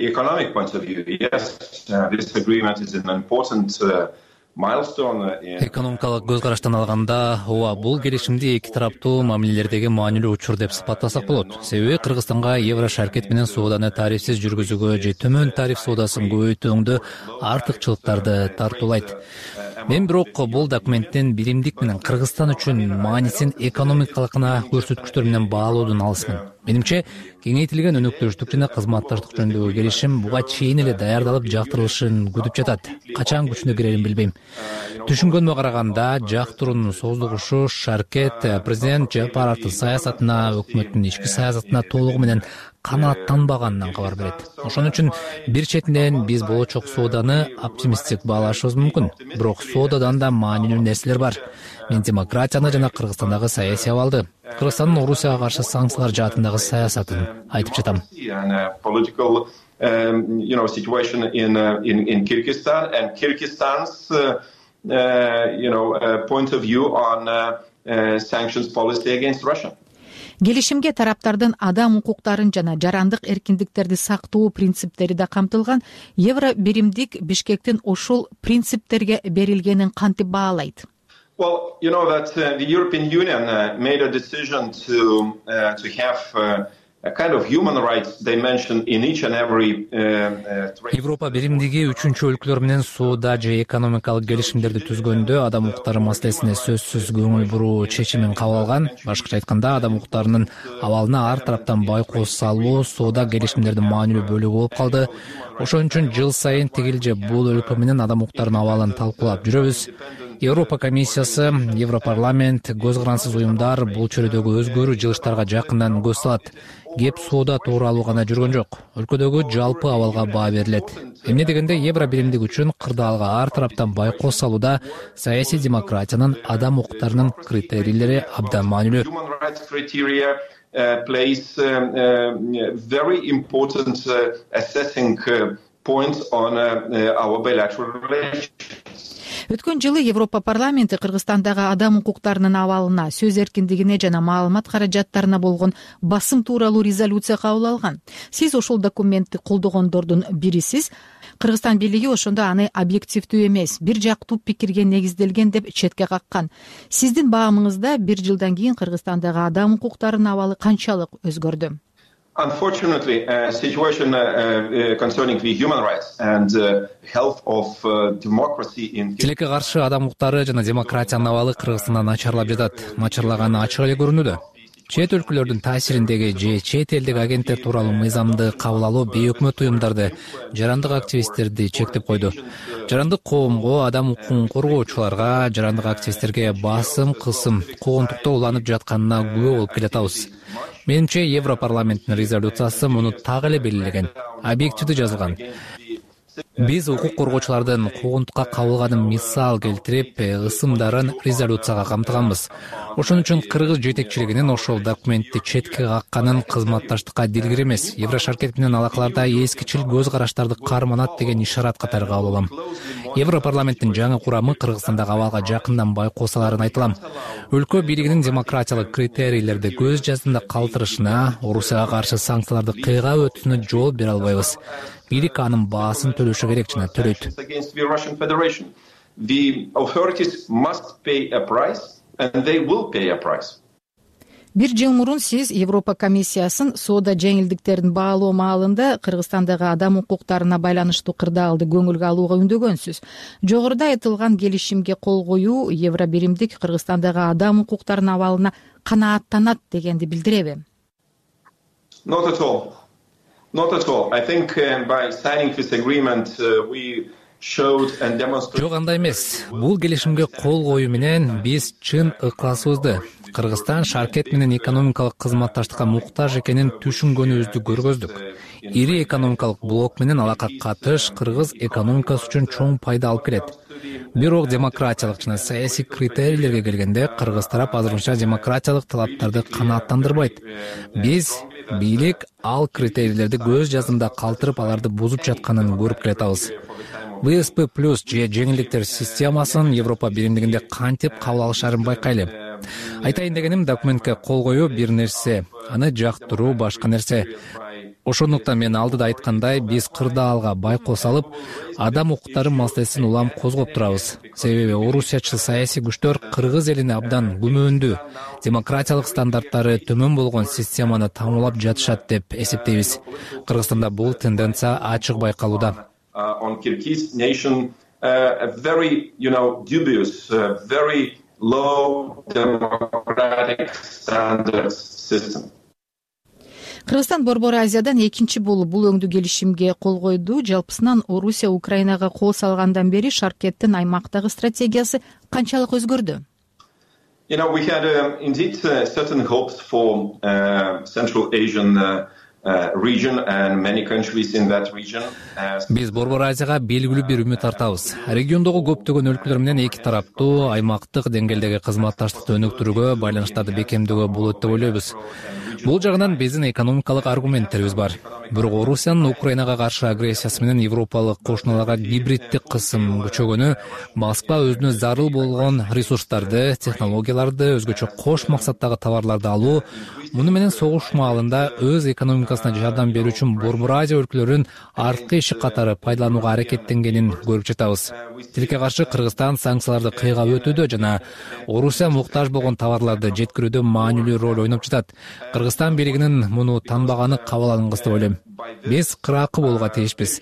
economic point of view, yes, this agreement is an important Экономикалык көз караштан алганда, ооба, бул келишимди эки тараптуу мамилелердеги маанилүү учур деп сыпаттасак болот. Себеби Кыргызстанга Еврошаркет менен сооданы тарифсиз жүргүзүүгө же төмөн тариф соодасын көбөйтүүндө артыкчылыктарды тартуулайт. Мен бирок бул документтин биримдик менен Кыргызстан үчүн маанисин экономикалык көрсөткүчтөр менен баалоодон алысмын. Менимче, кеңейтилген өнөктөштүк жана кызматташтык жөнүндөгү келишим буга чейин эле даярдалып жактырылышын күтүп жатат. Качан күчүнө кирерин билбейм. Түшүнгөнүмө караганда, жактыруунун создугушу Шаркет президент Жапаровдун саясатына, өкмөттүн ички саясатына толугу менен канааттанбаганынан кабар берет. Ошон үчүн бир четинен биз болочок сооданы оптимисттик баалашыбыз мүмкүн. Бирок соодадан да маанилүү нерселер бар. Мен демократияны жана Кыргызстандагы саясий абалды, Кыргызстандын Орусияга каршы санкциялар жаатындагы саясатын айтып жатам. Situation in Kyrgyzstan and Kyrgyzstan's point of view on sanctions policy against Russia. Келишимге тараптардын адам укуктарын жана жарандык эркиндиктерди сактоо принциптери да камтылган. Евро биримдик Бишкектин ошол принциптерге берилгенин кантип баалайт? Well, you know that the European Union made a decision to have a kind of human rights dimension in each and every Европа биримдиги үчүнчү өлкөлөр менен соода же экономикалык келишимдерди түзгөндө адам укуктары маселесине сөзсүз көңүл буруу чечимин кабыл алган. Башкача айтканда, адам укуктарынын абалына ар тараптан байкоос салуу соода келишимдердин маанилүү бөлүгү болуп калды. Ошон үчүн жыл сайын тигил же бул өлкө менен адам укуктарынын абалын талкуулап жүрөбүз. Европа комиссиясы, Европарламент, көз карансыз уюмдар бул чөйрөдөгү өзгөрүү жылыштарга жакындан көз салат. Кеп соода тууралуу гана жүргөн жок. Өлкөдөгү жалпы абалга баа берилет. Эмне дегенде Евро биримдик үчүн кырдаалга ар тараптан байкоос салууда саясий демократиянын адам укуктарынын критерийлери абдан маанилүү. Plays very important assessing points on our bilateral relations. Өткөн жылы Европа парламенти Кыргызстандагы адам укуктарынын абалына, сөз эркиндигине жана маалымат каражаттарына болгон басым тууралуу резолюция кабыл алган. Сиз ошол документти колдогондордун бирисиз. Кыргызстан бийлиги ошондо аны объективдүү эмес, бир жактуу пикирге негизделген деп четке каккан. Сиздин баамыңызда 1 жылдан кийин Кыргызстандагы адам укуктарынын абалы канчалык өзгөрдү? Unfortunately, situation concerning the human rights and health of democracy in Тилекке каршы адам укуктары жана демократиянын абалы Кыргызстанда начарлап жатат. Начарлаганы ачык эле көрүнүүдө. Чет өлкөлөрдүн таасириндеги же чет элдик агенттер тууралуу мыйзамды кабыл алуу бейөкмөт уюмдарды, жарандык активисттерди чектеп койду. Жарандык коомго, адам укугун коргоочуларга, жарандык активисттерге басым, кысым, куугунтуктоо уланып жатканына күбө болуп келатабыз. Менимче, Европарламенттин резолюциясы муну так эле белгилеген, объективдүү жазылган. Биз укук коргоочулардын куугунтукка кабылганын мисал келтирип, ысымдарын резолюцияга камтыганбыз. Ошон үчүн кыргыз жетекчилигинин ошол документти четке какканын кызматташтыкка дилгир эмес, Еврошаркет менен алакаларда эскичил көз караштарды карманат деген ишарат катары кабыл алам. Европарламенттин жаңы курамы Кыргызстандагы абалга жакындан байкосаларын айтылам. Өлкө бийлигинин демократиялык критерийлерди көз жаздында калтырышына, Орусияга каршы санкцияларды кыйгап өтүүсүнө жол бере албайбыз. Бийлик анын баасын төлөшү керек жана төлөйт. The authorities must pay a price and they will pay a price. 1 жыл мурун сиз Европа комиссиясын соода жеңилдиктерин баалоо маалында Кыргызстандагы адам укуктарына байланыштуу кырдаалды көңүлгө алууга үндөгөнсүз. Жогоруда айтылган келишимге кол коюу Евробиримдик Кыргызстандагы адам укуктарынын абалына канааттанат дегенди билдиреби? Not at all. Not at all. I think by signing this agreement we Жок, андай эмес. Бул келишимге кол коюу менен биз чын ыкласыбызды, Кыргызстан Шаркет менен экономикалык кызматташтыкка муктаж экенин түшүнгөнүбүздү көргөздүк. Ири экономикалык блок менен алака катыш кыргыз экономикасы үчүн чоң пайда алып келет. Бирок демократиялык жана саясий критерийлерге келгенде кыргыз тарап азырынча демократиялык талаптарды канааттандырбайт. Биз бийлик ал критерийлерди көз жаздында калтырып, аларды бузуп жатканын көрүп келатабыз. ВСП+ же жеңилдиктер системасын Европа биримдигинде кантип кабыл алышарын байкайлы. Айтайын дегеним, документке кол коюу бир нерсе, аны жактыруу башка нерсе. Ошондуктан мен алдыда айткандай, биз кырдаалга байкос алып, адам укуктары маселесин улам козгоп турабыз. Себеби орусиячыл саясий күчтөр кыргыз элине абдан күмөндүү, демократиялык стандарттары төмөн болгон системаны тамуулап жатышат деп эсептейбиз. Кыргызстанда бул тенденция ачык байкалууда. On Kyrgyz nation, a very, dubious, very low democratic standards system. Кыргызстан Борбор Азиядан экинчи болуп бул өңдүү келишимге кол койду. Жалпысынан Орусия Украинага кол салгандан бери Шаркеттин аймактагы стратегиясы канчалык өзгөрдү? We had indeed certain hopes for Central Asian region and many countries in that region. Биз Борбор Азияга белгилүү бир үмүт артабыз. Региондогу көптөгөн өлкөлөр менен эки тараптуу аймактык деңгээлдеги кызматташтыкты өнүктүрүүгө, байланыштарды бекемдөөгө болот деп ойлойбуз. Бул жагынан биздин экономикалык аргументтерибиз бар. Бирок Орусиянын Украинага каршы агрессиясы менен европалык кошуналарга гибриддик кысым күчөгөнү, Москва өзүнө зарыл болгон ресурстарды, технологияларды, өзгөчө кош максаттагы товарларды алуу, муну менен согуш маалында өз экономикасына жардам берүү үчүн Борбор Азия өлкөлөрүнүн арткы иши катары пайдаланууга аракеттенгенин көрүп жатабыз. Тилекке каршы Кыргызстан санкцияларды кыйгап өтүүдө жана Орусия муктаж болгон товарларды жеткирүүдө маанилүү роль ойноп жатат. Кыргызстан бийлигинин муну танбаганы кабыл алынгыс деп ойлойм. Биз кыракы болууга тийишпиз.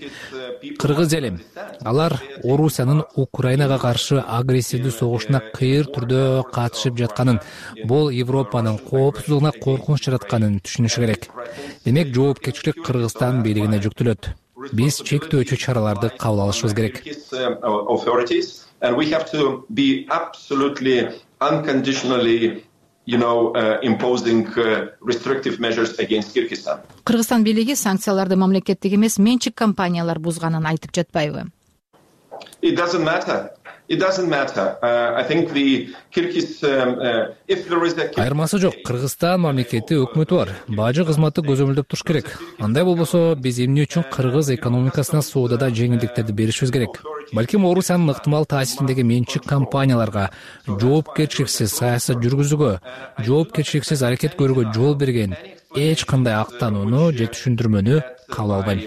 Кыргыз эли, алар Орусиянын Украинага каршы агрессивдүү согушуна кыйыр түрдө катышып жатканын, бул Европанын коопсуздугуна коркунуч жаратканын түшүнүшү керек. Демек, жоопкерчилик Кыргызстан бийлигине жүктөлөт. Биз чектөөчү чараларды кабыл алышыбыз керек. Imposing restrictive measures against Kyrgyzstan. Кыргызстан бийлиги санкцияларды мамлекеттик эмес менчик компаниялар бузганын айтып жатпайбы? It doesn't matter. It doesn't matter. I think the Kyrgyz, if there is a... Айырмасы жок. Кыргызстан мамлекети өкмөтү бар. Бажы кызматы көзөмөлдөп туруш керек. Андай болбосо биз эмне үчүн кыргыз экономикасына соодада жеңилдиктерди беришибиз керек? Балким Орусиянын ыктымал таасириндеги менчик компанияларга жоопкерчиликсиз саясат жүргүзүүгө, жоопкерчиликсиз аракет көрүүгө жол берген эч кандай актанууну же түшүндүрмөнү кабыл албайм.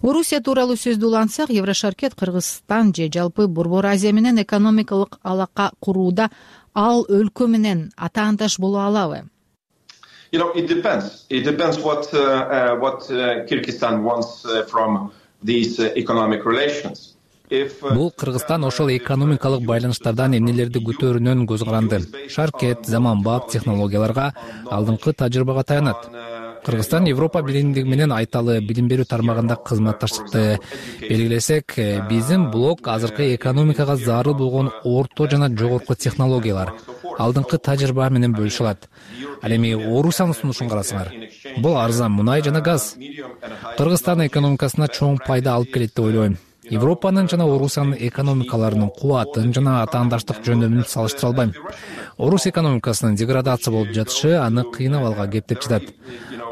Орусия тууралуу сөздү улантсак, Еврошаркет Кыргызстан же жалпы Борбор Азия менен экономикалык алака курууда ал өлкө менен атаандаш боло алабы? It depends. It depends what Kyrgyzstan wants from these economic relations. Бул Кыргызстан ошол экономикалык байланыштардан эмнелерди күтөөрүнөн көз каранды. Шаркет, заманбап технологияларга, алдыңкы тажрыйбага таянат. Кыргызстан Европа биримдиги менен айталы билим берүү тармагында кызматташтыкты белгилесек, биздин блок азыркы экономикага зарыл болгон орто жана жогорку технологиялар, алдыңкы тажрыйба менен бөлүшө алат. Ал эми Орусиянын сунушун карасаңар, бул арзан мунай жана газ. Кыргызстан экономикасына чоң пайда алып келет деп ойлойм. Европанын жана Орусиянын экономикаларынын кубатын жана атаандаштык жөндөмүн салыштыра албайм. Орус экономикасынын деградация болуп жатышы аны кыйнап алган кеп деп жатат.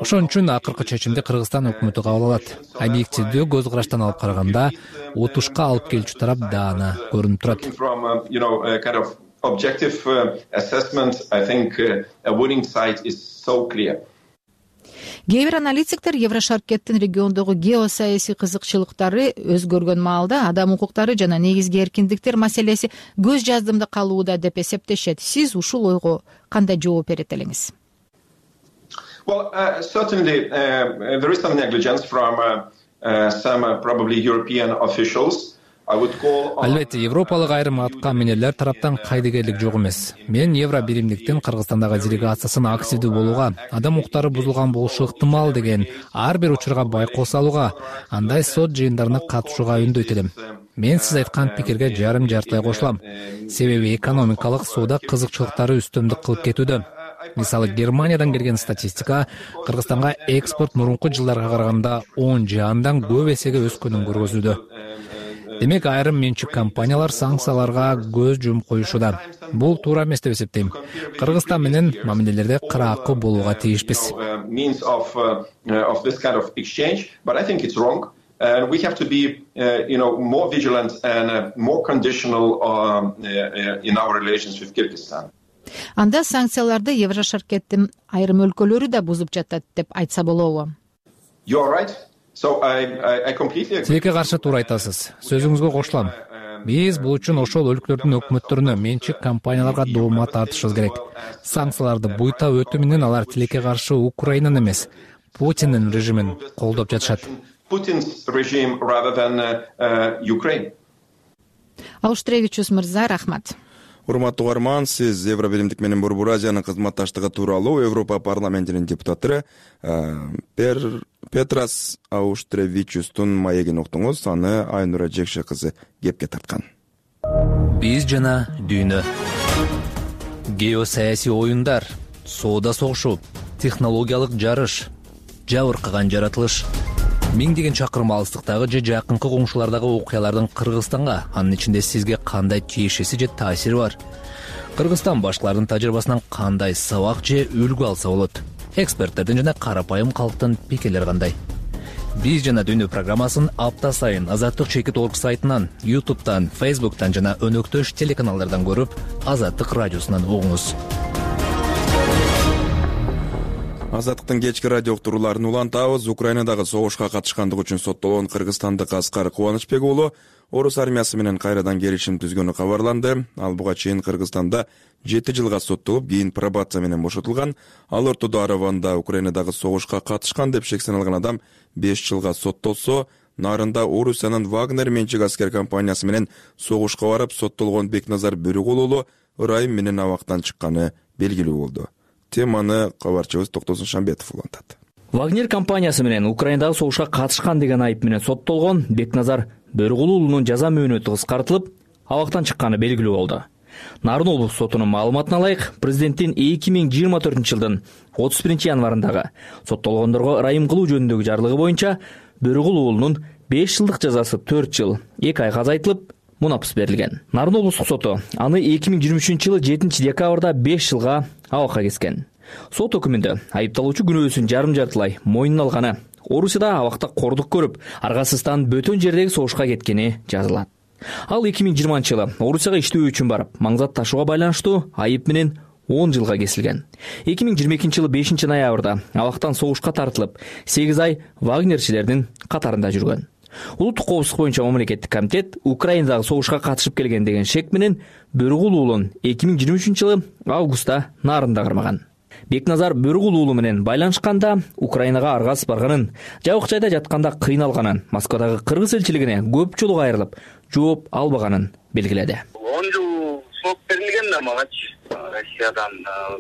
Ошон үчүн акыркы чечимди Кыргызстан өкмөтү кабыл алат. Объективдүү көз караштан алып караганда, утушка алып келүүчү тарап даана көрүнүп турат. Objective assessment, I think a winning side is so clear. Кээ бир аналитиктер Еврошаркеттин региондогу геосаясий кызыкчылыктары өзгөргөн маалда адам укуктары жана негизги эркиндиктер маселеси көз жаздымда калууда деп эсептешет. Сиз ушул ойго кандай жооп берет элеңиз? Well, certainly there is some negligence from some probably European officials. Албетте, европалык айрым атка минерлер тараптан кайдыгерлик жок эмес. Мен Евро биримдиктин Кыргызстандагы делегациясын активдүү болууга, адам укуктары бузулган болушу ыктымал деген ар бир учурга байкоо салууга, андай сот жыйындарына катышууга үндөйт элем. Мен сиз айткан пикирге жарым-жартылай кошулам. Себеби экономикалык соодо кызыкчылыктары үстөмдүк кылып кетүүдө. Мисалы, Германиядан келген статистика Кыргызстанга экспорт мурунку жылдарга караганда 10 же андан көп эсеге өскөнүн көргөзүүдө. Демек, айрым менчик компаниялар санкцияларга көз жумуп коюшууда. Бул туура эмес деп эсептейм. Кыргызстан менен мамилелерде кыраакы болууга тийишпиз. And we have to be, more vigilant and more conditional in our relations with Kyrgyzstan. Анда санкцияларды Еврошаркеттин айрым өлкөлөрү да бузуп жатат деп айтса болобу? You are right. So I completely agree. Тилекке каршы туура айтасыз. Сөзүңүзгө кошулам. Биз бул үчүн ошол өлкөлөрдүн өкмөттөрүнө, менчик компанияларга доомат тартышыбыз керек. Санкцияларды буйта өтүү менен алар тилекке каршы Украинаны эмес, Путиндин режимин колдоп жатышат. Putin's regime rather than Ukraine. Ауштревичус мырза, рахмат. Урматтуу угарман, сиз Евробиримдик менен Борбор Азиянын кызматташтыгы тууралуу Европа парламентинин депутаты Петрас Ауштревичустун маегин уктуңуз. Аны Айнура Жекше кызы кепке тарткан. Биз жана дүйнө. Геосаясий оюндар, соода согушу, технологиялык жарыш, жабыркаган жаратылыш. Миңдеген чакырым алыстыктагы же жакынкы коңшулардагы окуялардын Кыргызстанга, анын ичинде сизге кандай тиешеси же таасири бар? Кыргызстан башкалардын тажрыйбасынан кандай сабак же үлгү алса болот? Эксперттердин жана карапайым калктын пикирлери кандай? Биз жана дүйнө программасын апта сайын Азаттык.org сайтынан, YouTube'дан, Facebook'тан жана өнөктөш телеканалдардан көрүп, Азаттык радиосунан угуңуз. Азаттыктын кечки радио уктурууларын улантабыз. Украинадагы согушка катышкандыгы үчүн соттолгон кыргызстандык Аскар Кубанычбек уулу Орус армиясы менен кайрадан келишим түзгөнү кабарланды. Ал буга чейин Кыргызстанда 7 жылга соттолуп, кийин пробация менен бошотулган. Ал ортодо Араванда Украинадагы согушка катышкан деп шек саналган адам 5 жылга соттолсо, нарында Орусиянын Вагнер менчик аскер компаниясы менен согушка барып соттолгон Бекназар Бөрүгул уулу ырайым менен абактан чыкканы белгилүү болду. Теманы кабарчыбыз Токтосун Шамбетов улантат. Вагнер компаниясы менен Украинадагы согушка катышкан деген айып менен соттолгон Бекназар Бөрүгул уулунун жаза мөөнөтү кыскартылып, абактан чыкканы белгилүү болду. Нарын облустук сотунун маалыматына ылайык, президенттин 2024 жылдын 31 январындагы соттолгондорго ырайым кылуу жөнүндөгү жарлыгы боюнча Бөрүгул уулунун 5 жылдык жазасы 4 жыл 2 айга азайтылып, мунапыс берилген. Нарын облустук соту аны 2023 жылы 7 декабрда 5 жылга абакка кескен. Сот өкүмүндө айыпталуучу күнөөсүн жарым-жартылай мойнуна алганы, Орусияда абакта кордук көрүп, аргасыздан бөтөн жердеги согушка кеткени жазылат. Ал 2020 жылы Орусияга иштөө үчүн барып, маңзат ташууга байланыштуу айып менен 10 жылга кесилген. 2022 жылы 5 ноябрда абактан согушка тартылып, 8 ай вагнерчилердин катарында жүргөн. Улуттук коопсуздук боюнча мамлекеттик комитет Украинадагы согушка катышып келген деген шек менен Бөрүгул уулун 2023 жылы августта Нарында кармаган. Бекназар Бөрүгул уулу менен байланышканда Украинага аргасыз барганын, жабык жайда жатканда кыйналганын, Москвадагы кыргыз элчилигине көп жолу кайрылып, жооп албаганын белгиледи. 10 жыл срок берилген да магачы. Россиядан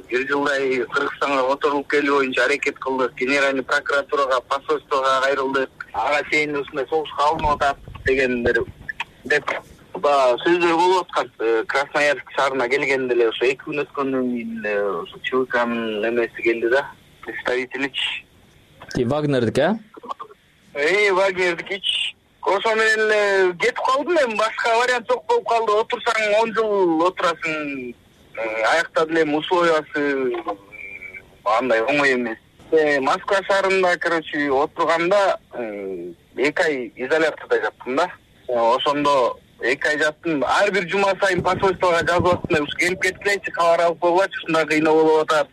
1 жылдай Кыргызстанга отурулуп келүү боюнча аракет кылдык. Генеральный прокуратурага, посольствого кайрылдык. Ага чейин ушундай согушка алынып атат дегендер деп сөздөр болуп аткан. Красноярск шаарына келгенде эле ошо 2 күн өткөндөн кийин ошо ЧВКнын эмеси келди да, представительич. Вагнердик, Вагнердикич. Ошо менен кетип калдым мен, башка вариант жок болуп калды. Отурсаң 10 жыл отурасың. Аякта деле условиясы андай оңой эмес. Москва шаарында, отурганда 2 ай изоляторда жаттым да. Ошондо 2 ай жаттым. Ар бир жума сайын посольствого жазып аттым. Ушу келип кеткилечи, кабар алып койгулачы, ушундай кыйноо болуп атат,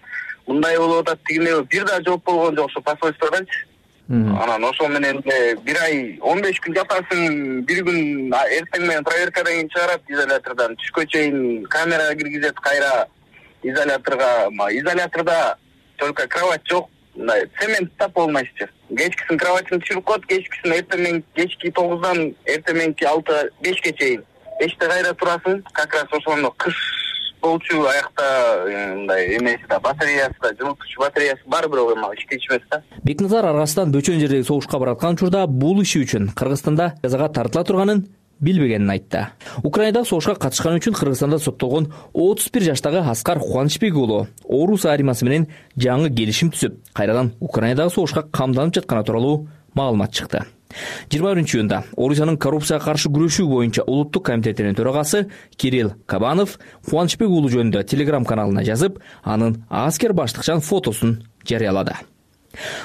мындай болуп атат дегенде бир да жооп болгон жок ошо посольстводончу. Анан ошол менен 1 ай 15 күн жатасың, 1 күн эртең менен проверкадан кийин чыгарат изолятордон. Түшкө чейин камерага киргизет, кайра изоляторга. Изоляторда только кровать жок. Цемент тап болмайчы. Кечкисин кроватьын түшүрүп коет, кечкисин эртең кечки 9-дан эртең 6-5ке чейин. 5те кайра турасың, как раз ошондо кыш болчу аякта мындай эмеси да, батареясы да, жылытуучу батареясы бар, бирок эми ишке ичмес да. Бекназар аргасынан бөтөн жердеги согушка бараткан учурда бул иши үчүн Кыргызстанда жазага тартыла турганын билбегенин айтты. Украинадагы согушка катышканы үчүн Кыргызстанда соттолгон 31 жаштагы Аскар Кубанычбек уулу Орус армиясы менен жаңы келишим түзүп, кайрадан Украинадагы согушка камданып жатканы тууралуу маалымат чыкты. 21-июнда Орусиянын коррупцияга каршы күрөшүү боюнча улуттук комитетинин төрагасы Кирилл Кабанов Кубанычбек уулу жөнүндө Telegram каналына жазып, анын аскер баштыкчан фотосун жарыялады.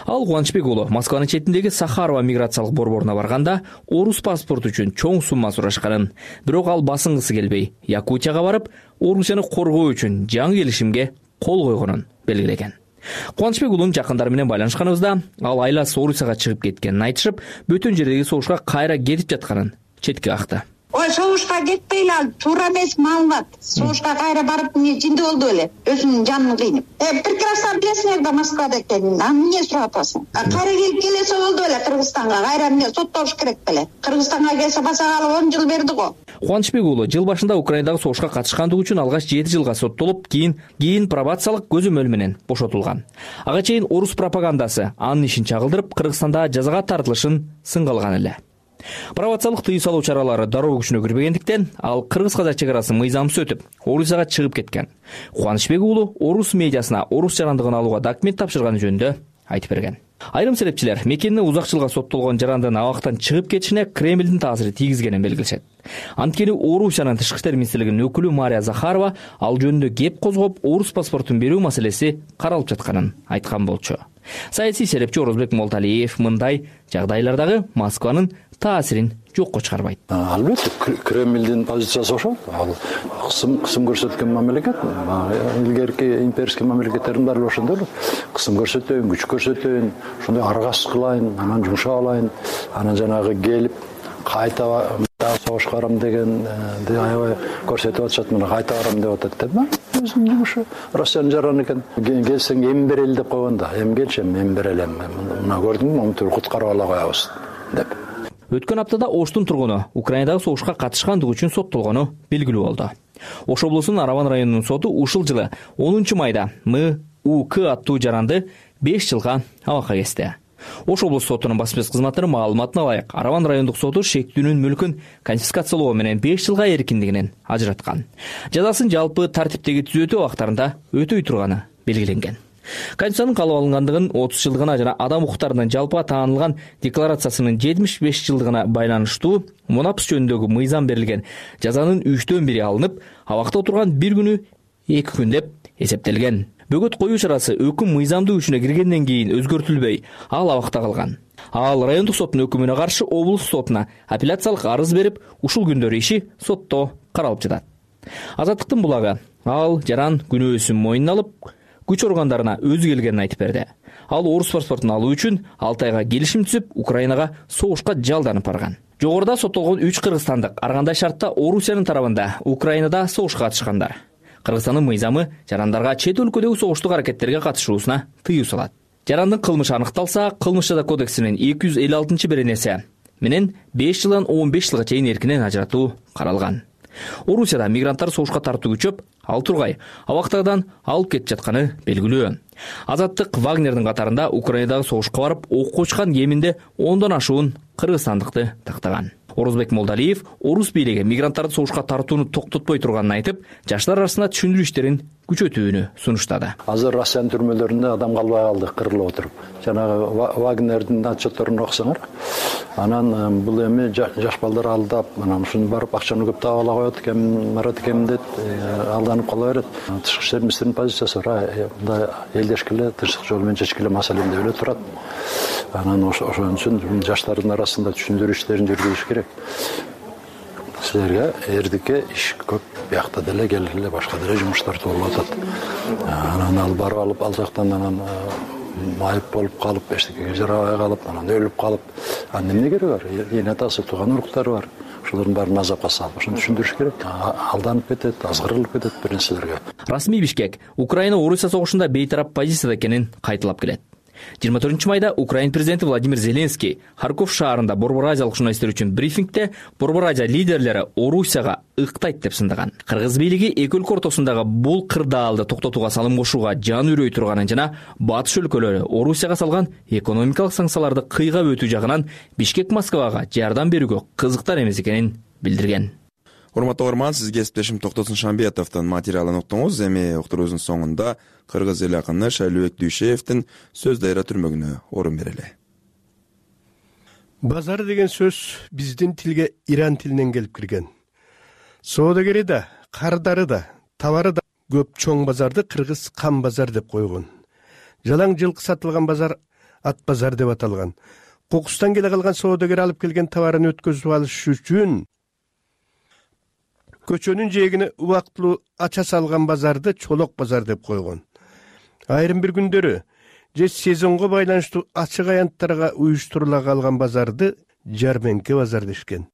Ал Кубанычбек уулу Москванын четиндеги Сахарова миграциялык борборуна барганда орус паспорту үчүн чоң сумма сурашканын, бирок ал басынгысы келбей, Якутияга барып, Орусияны коргоо үчүн жаңы келишимге кол койгонун белгилеген. Кубанычбек уулунун жакындары менен байланышканыбызда, ал айласы Орусияга чыгып кеткенин айтышып, бөтөн жердеги согушка кайра кетип жатканын четке какты. Ой, согушка кетпейли, ал туура эмес маалымат. Согушка кайра барып жинди болду эле, өзүнүн жанын кыйнап. Прекрасно билесиңер да Москвада экенин. Эмне сурап атасың? Кайра келип келсе болду эле Кыргызстанга, кайра эмне соттолуш керек беле? Кыргызстанга келсе басагалы 10 жыл берди го. Кубанычбек уулу жыл башында Украинадагы согушка катышкандыгы үчүн алгач 7 жылга соттолуп, кийин пробациялык көзөмөл менен бошотулган. Ага чейин орус пропагандасы анын ишин чагылдырып, Кыргызстанда жазага тартылышын сынга алган эле. Пробациялык тыюу салуу чаралары дароо күчүнө кирбегендиктен, ал кыргыз-казак чек арасын мыйзамсыз өтүп, Орусияга чыгып кеткен. Кубанычбек уулу орус медиасына орус жарандыгын алууга документ тапшырганы жөнүндө айтып берген. Айрым серепчилер мекенини узак жылга соттолгон жарандын абактан чыгып кетишине Кремлдин таасири тийгизгенин белгилешет. Анткени Орусиянын тышкы иштер министрлигинин өкүлү Мария Захарова ал жөнүндө кеп козгоп, орус паспортун берүү маселеси каралып жатканын айткан болчу. Саясий серепчи Орозбек Молталиев мындай жагдайлардагы Москванын таасирин жокко чыгарбайт. Албетте, Кремлдин позициясы ошол. Ал кысым көрсөткөн мамлекет. Илгерки имперский мамлекеттердин баары ошондой. Кысым көрсөтөйүн, күч көрсөтөйүн, ошондой аргасыз кылайын, анан жумшап алайын, анан жанагы келип кайта согушка барам дегенди аябай көрсөтүп атышат, мына кайта барам деп атат деп. Өзүнүн жумушу. Россиянын жараны экен. Келсең эми берели деп койгон да. Эми келчем, эми берелем. Мына көрдүңбү, монтур куткарып ала коебуз деп. Өткөн аптада Оштун тургуну Украинадагы согушка катышкандыгы үчүн соттолгону белгилүү болду. Ош облусунун Араван районунун соту ушул жылы 10 майда МУК аттуу жаранды 5 жылга абакка кести. Ош облус сотунун басма сөз кызматынын маалыматына ылайык, Арабан райондук соту шектүүнүн мүлкүн конфискациялоо менен 5 жылга эркиндигинен ажыраткан. Жазасын жалпы тартиптеги түзөтүү убактарында өтөй турганы белгиленген. Конституциянын кабыл алынгандыгын 30 жылдыгына жана адам укуктарынын жалпыга таанылган декларациясынын 75 жылдыгына байланыштуу мунапс жөнүндөгү мыйзам берилген жазанын 3/1 алынып, абакта отурган 1 күнү 2 күн деп эсептелген. Бөгөт коюу чарасы өкүм мыйзамдуу күчүнө киргенден кийин өзгөртүлбөй, ал абакта калган. Ал райондук соттун өкүмүнө каршы облус сотуна апелляциялык арыз берип, ушул күндөр иши сотто каралып жатат. Азаттыктын булагы ал жаран күнөөсүн мойнуна алып, күч органдарына өзү келгенин айтып берди. Ал орус паспортун алуу үчүн 6 айга келишим түзүп, Украинага согушка жалданып барган. Жогоруда соттолгон 3 кыргызстандык ар кандай шартта Орусиянын тарабында Украинада согушка катышкандар. Кыргызстандын мыйзамы жарандарга чет өлкөдөгү согуштук аракеттерге катышуусуна тыюу салат. Жарандын кылмышы аныкталса, кылмыш жаза кодексинин 256-беренеси менен 5 жылдан 15 жылга чейин эркинен ажыратуу каралган. Орусияда мигранттар согушка тартуу күчөп, ал тургай абактагыдан алып кетип жатканы белгилүү. Азаттык Вагнердин катарында Украинадагы согушка барып, окко учкан кеминде 10дон ашуун кыргызстандыкты тактаган. Орозбек Молдалиев орус бийлиги мигранттарды согушка тартууну токтотпой турганын айтып, жаштар арасында түшүндүрүү иштерин күчөтүүнү сунуштады. Азыр Россиянын түрмөлөрүндө адам калбай калды, кырылып отуруп. Жанагы Вагнердин отчетторун окусаңар, анан бул эми жаш балдар алдап, анан ушуну барып акчаны көп таап ала коет экен, барат экен деп алданып кала берет. Тышкы иштер министринин позициясы бар, мындай элдешкиле, тынчтык жолу менен чечкиле маселени деп эле турат. Анан ошон үчүн жаштардын арасында түшүндүрүү иштерин жүргүзүш керек. Силерге эрдикке иш көп, биякта деле келгиле башка деле жумуштар болуп атат. Анан ал барып алып, ал жактан анан майып болуп калып, эчтекеге жарабай калып, анан өлүп калып, анан эмне кереги бар? Эне атасы, тууган уруктары бар. Ошолордун баарын азапка салып, ошону түшүндүрүш керек. Алданып кетет, азгырылып кетет бир нерселерге. Расмий Бишкек Украина Орусия согушунда бейтарап позицияда экенин кайталап келет. 24-майда Украин президенти Владимир Зеленский Харьков шаарында Борбор Азиялык журналисттер үчүн брифингде Борбор Азия лидерлери Орусияга ыктайт деп сындаган. Кыргыз бийлиги эки өлкө ортосундагы бул кырдаалды токтотууга салым кошууга жан үрөй турганын жана батыш өлкөлөрү Орусияга салган экономикалык санкцияларды кыйгап өтүү жагынан Бишкек Москвага жардам берүүгө кызыктар эмес экенин билдирген. Урматтуу угарман, сизге кесиптешим Токтосун Шамбетовдун материалын уктуңуз. Эми уктуруубуздун соңунда кыргыз эл акыны Шайлообек Дүйшеевдин Сөз дайра түрмөгүнө орун берели. Базар деген сөз биздин тилге иран тилинен келип кирген. Соодагери да, кардары да, товары да көп чоң базарды кыргыз кам базар деп койгон. Жалаң жылкы сатылган базар ат базар деп аталган. Кокустан келе калган соодагер алып келген товарын өткөзүп алыш үчүн көчөнүн жээгине убактылуу ача салган базарды чолок базар деп койгон. Айрым бир күндөрү же сезонго байланыштуу ачык аянттарга уюштурула калган базарды жарменке базар дешкен.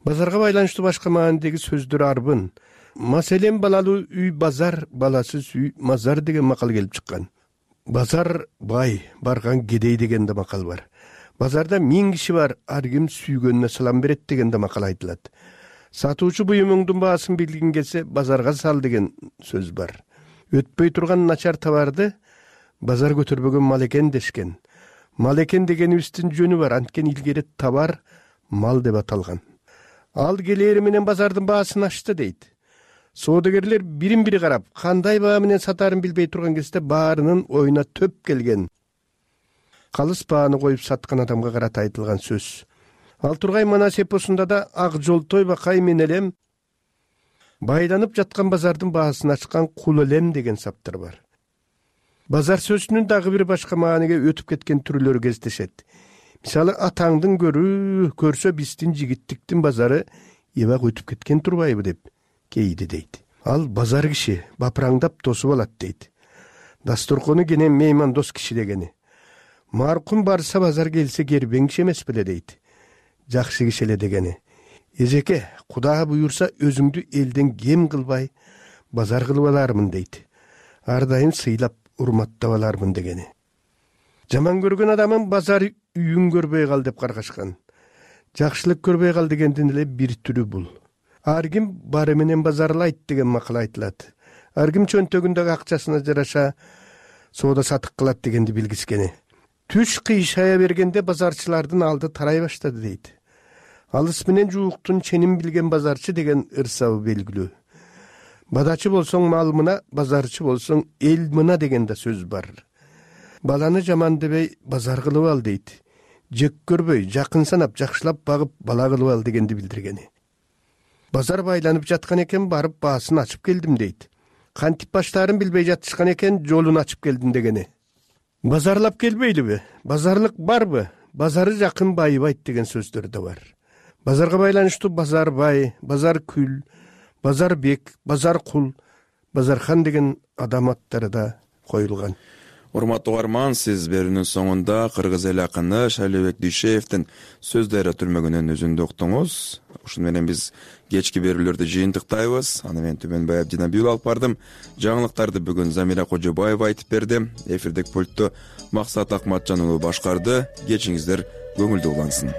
Базарга байланыштуу башка маанидеги сөздөр арбын. Маселен, балалуу үй базар, баласыз үй мазар деген макал келип чыккан. Базар бай, барган кедей деген да макал бар. Базарда 1000 киши бар, ар ким сүйгөнүнө салам берет деген да макал айтылат. Сатуучу буюмуңдун баасын билгиң келсе, базарга сал деген сөз бар. Өтпөй турган начар товарды базар көтөрбөгөн мал экен дешкен. Мал экен дегенибиздин жөнү бар, анткени илгери товар мал деп аталган. Ал келери менен базардын баасын ачты дейт. Соодагерлер бирин-бири карап, кандай баа менен сатаарын билбей турган кезде баарынын оюна төп келген. Калыс бааны коюп саткан адамга карата айтылган сөз. Ал тургай Манас эпосунда да ак жолтой бакай мен элем байланып жаткан базардын баасын ачкан кул элем деген саптар бар. Базар сөзүнүн дагы бир башка мааниге өтүп кеткен түрлөрү кездешет. Мисалы, атаңдын көрсө биздин жигиттиктин базары эбак өтүп кеткен турбайбы деп кейди дейт. Ал базар киши бапыраңдап тосуп алат дейт. Дасторкону кенен меймандос киши дегени. Маркум барса базар келсе кербең киши эмес беле дейт. Жакшы киши эле дегени. Эжеке, Куда буюрса өзүңдү элден кем кылбай базар кылып алармын дейт. Ар дайым сыйлап урматтап алармын дегени. Жаман көргөн адамын базар үйүн көрбөй кал деп каргашкан. Жакшылык көрбөй кал дегендин эле бир түрү бул. Ар ким бары менен базарлайт деген макал айтылат. Ар ким чөнтөгүндөгү акчасына жараша соода сатык кылат дегенди билгискени. Түш кыйшая бергенде базарчылардын алды тарай баштады дейт. Алыс менен жууктун ченин билген базарчы деген ырсабы белгилүү. Бадачы болсоң мал мына, базарчы болсоң эл мына деген да сөз бар. Баланы жаман дебей базар кылып ал дейт. Жек көрбөй, жакын санап, жакшылап багып бала кылып ал дегенди билдиргени. Базар байланып жаткан экен, барып баасын ачып келдим дейт. Кантип баштаарын билбей жатышкан экен, жолун ачып келдим дегени. Базарлап келбейлиби? Базарлык барбы? Базары жакын байыбайт деген сөздөр да бар. Базарга байланыштуу базар бай, базар күл, базар бек, базар кул, базархан деген адам аттары да коюлган. Урматтуу угарман, сиз берүүнүн соңунда кыргыз эл акыны Шайлообек Дүйшеевдин сөздөрү түрмөгүнөн үзүндү уктуңуз. Ушуну менен биз кечки берүүлөрдү жыйынтыктайбыз. Аны мен Түмөнбай Абдинабиев алып бардым. Жаңылыктарды бүгүн Замира Кожобаева айтып берди. Эфирдик пультту Максат Акматжан уулу башкарды. Кечиңиздер көңүлдүү улансын.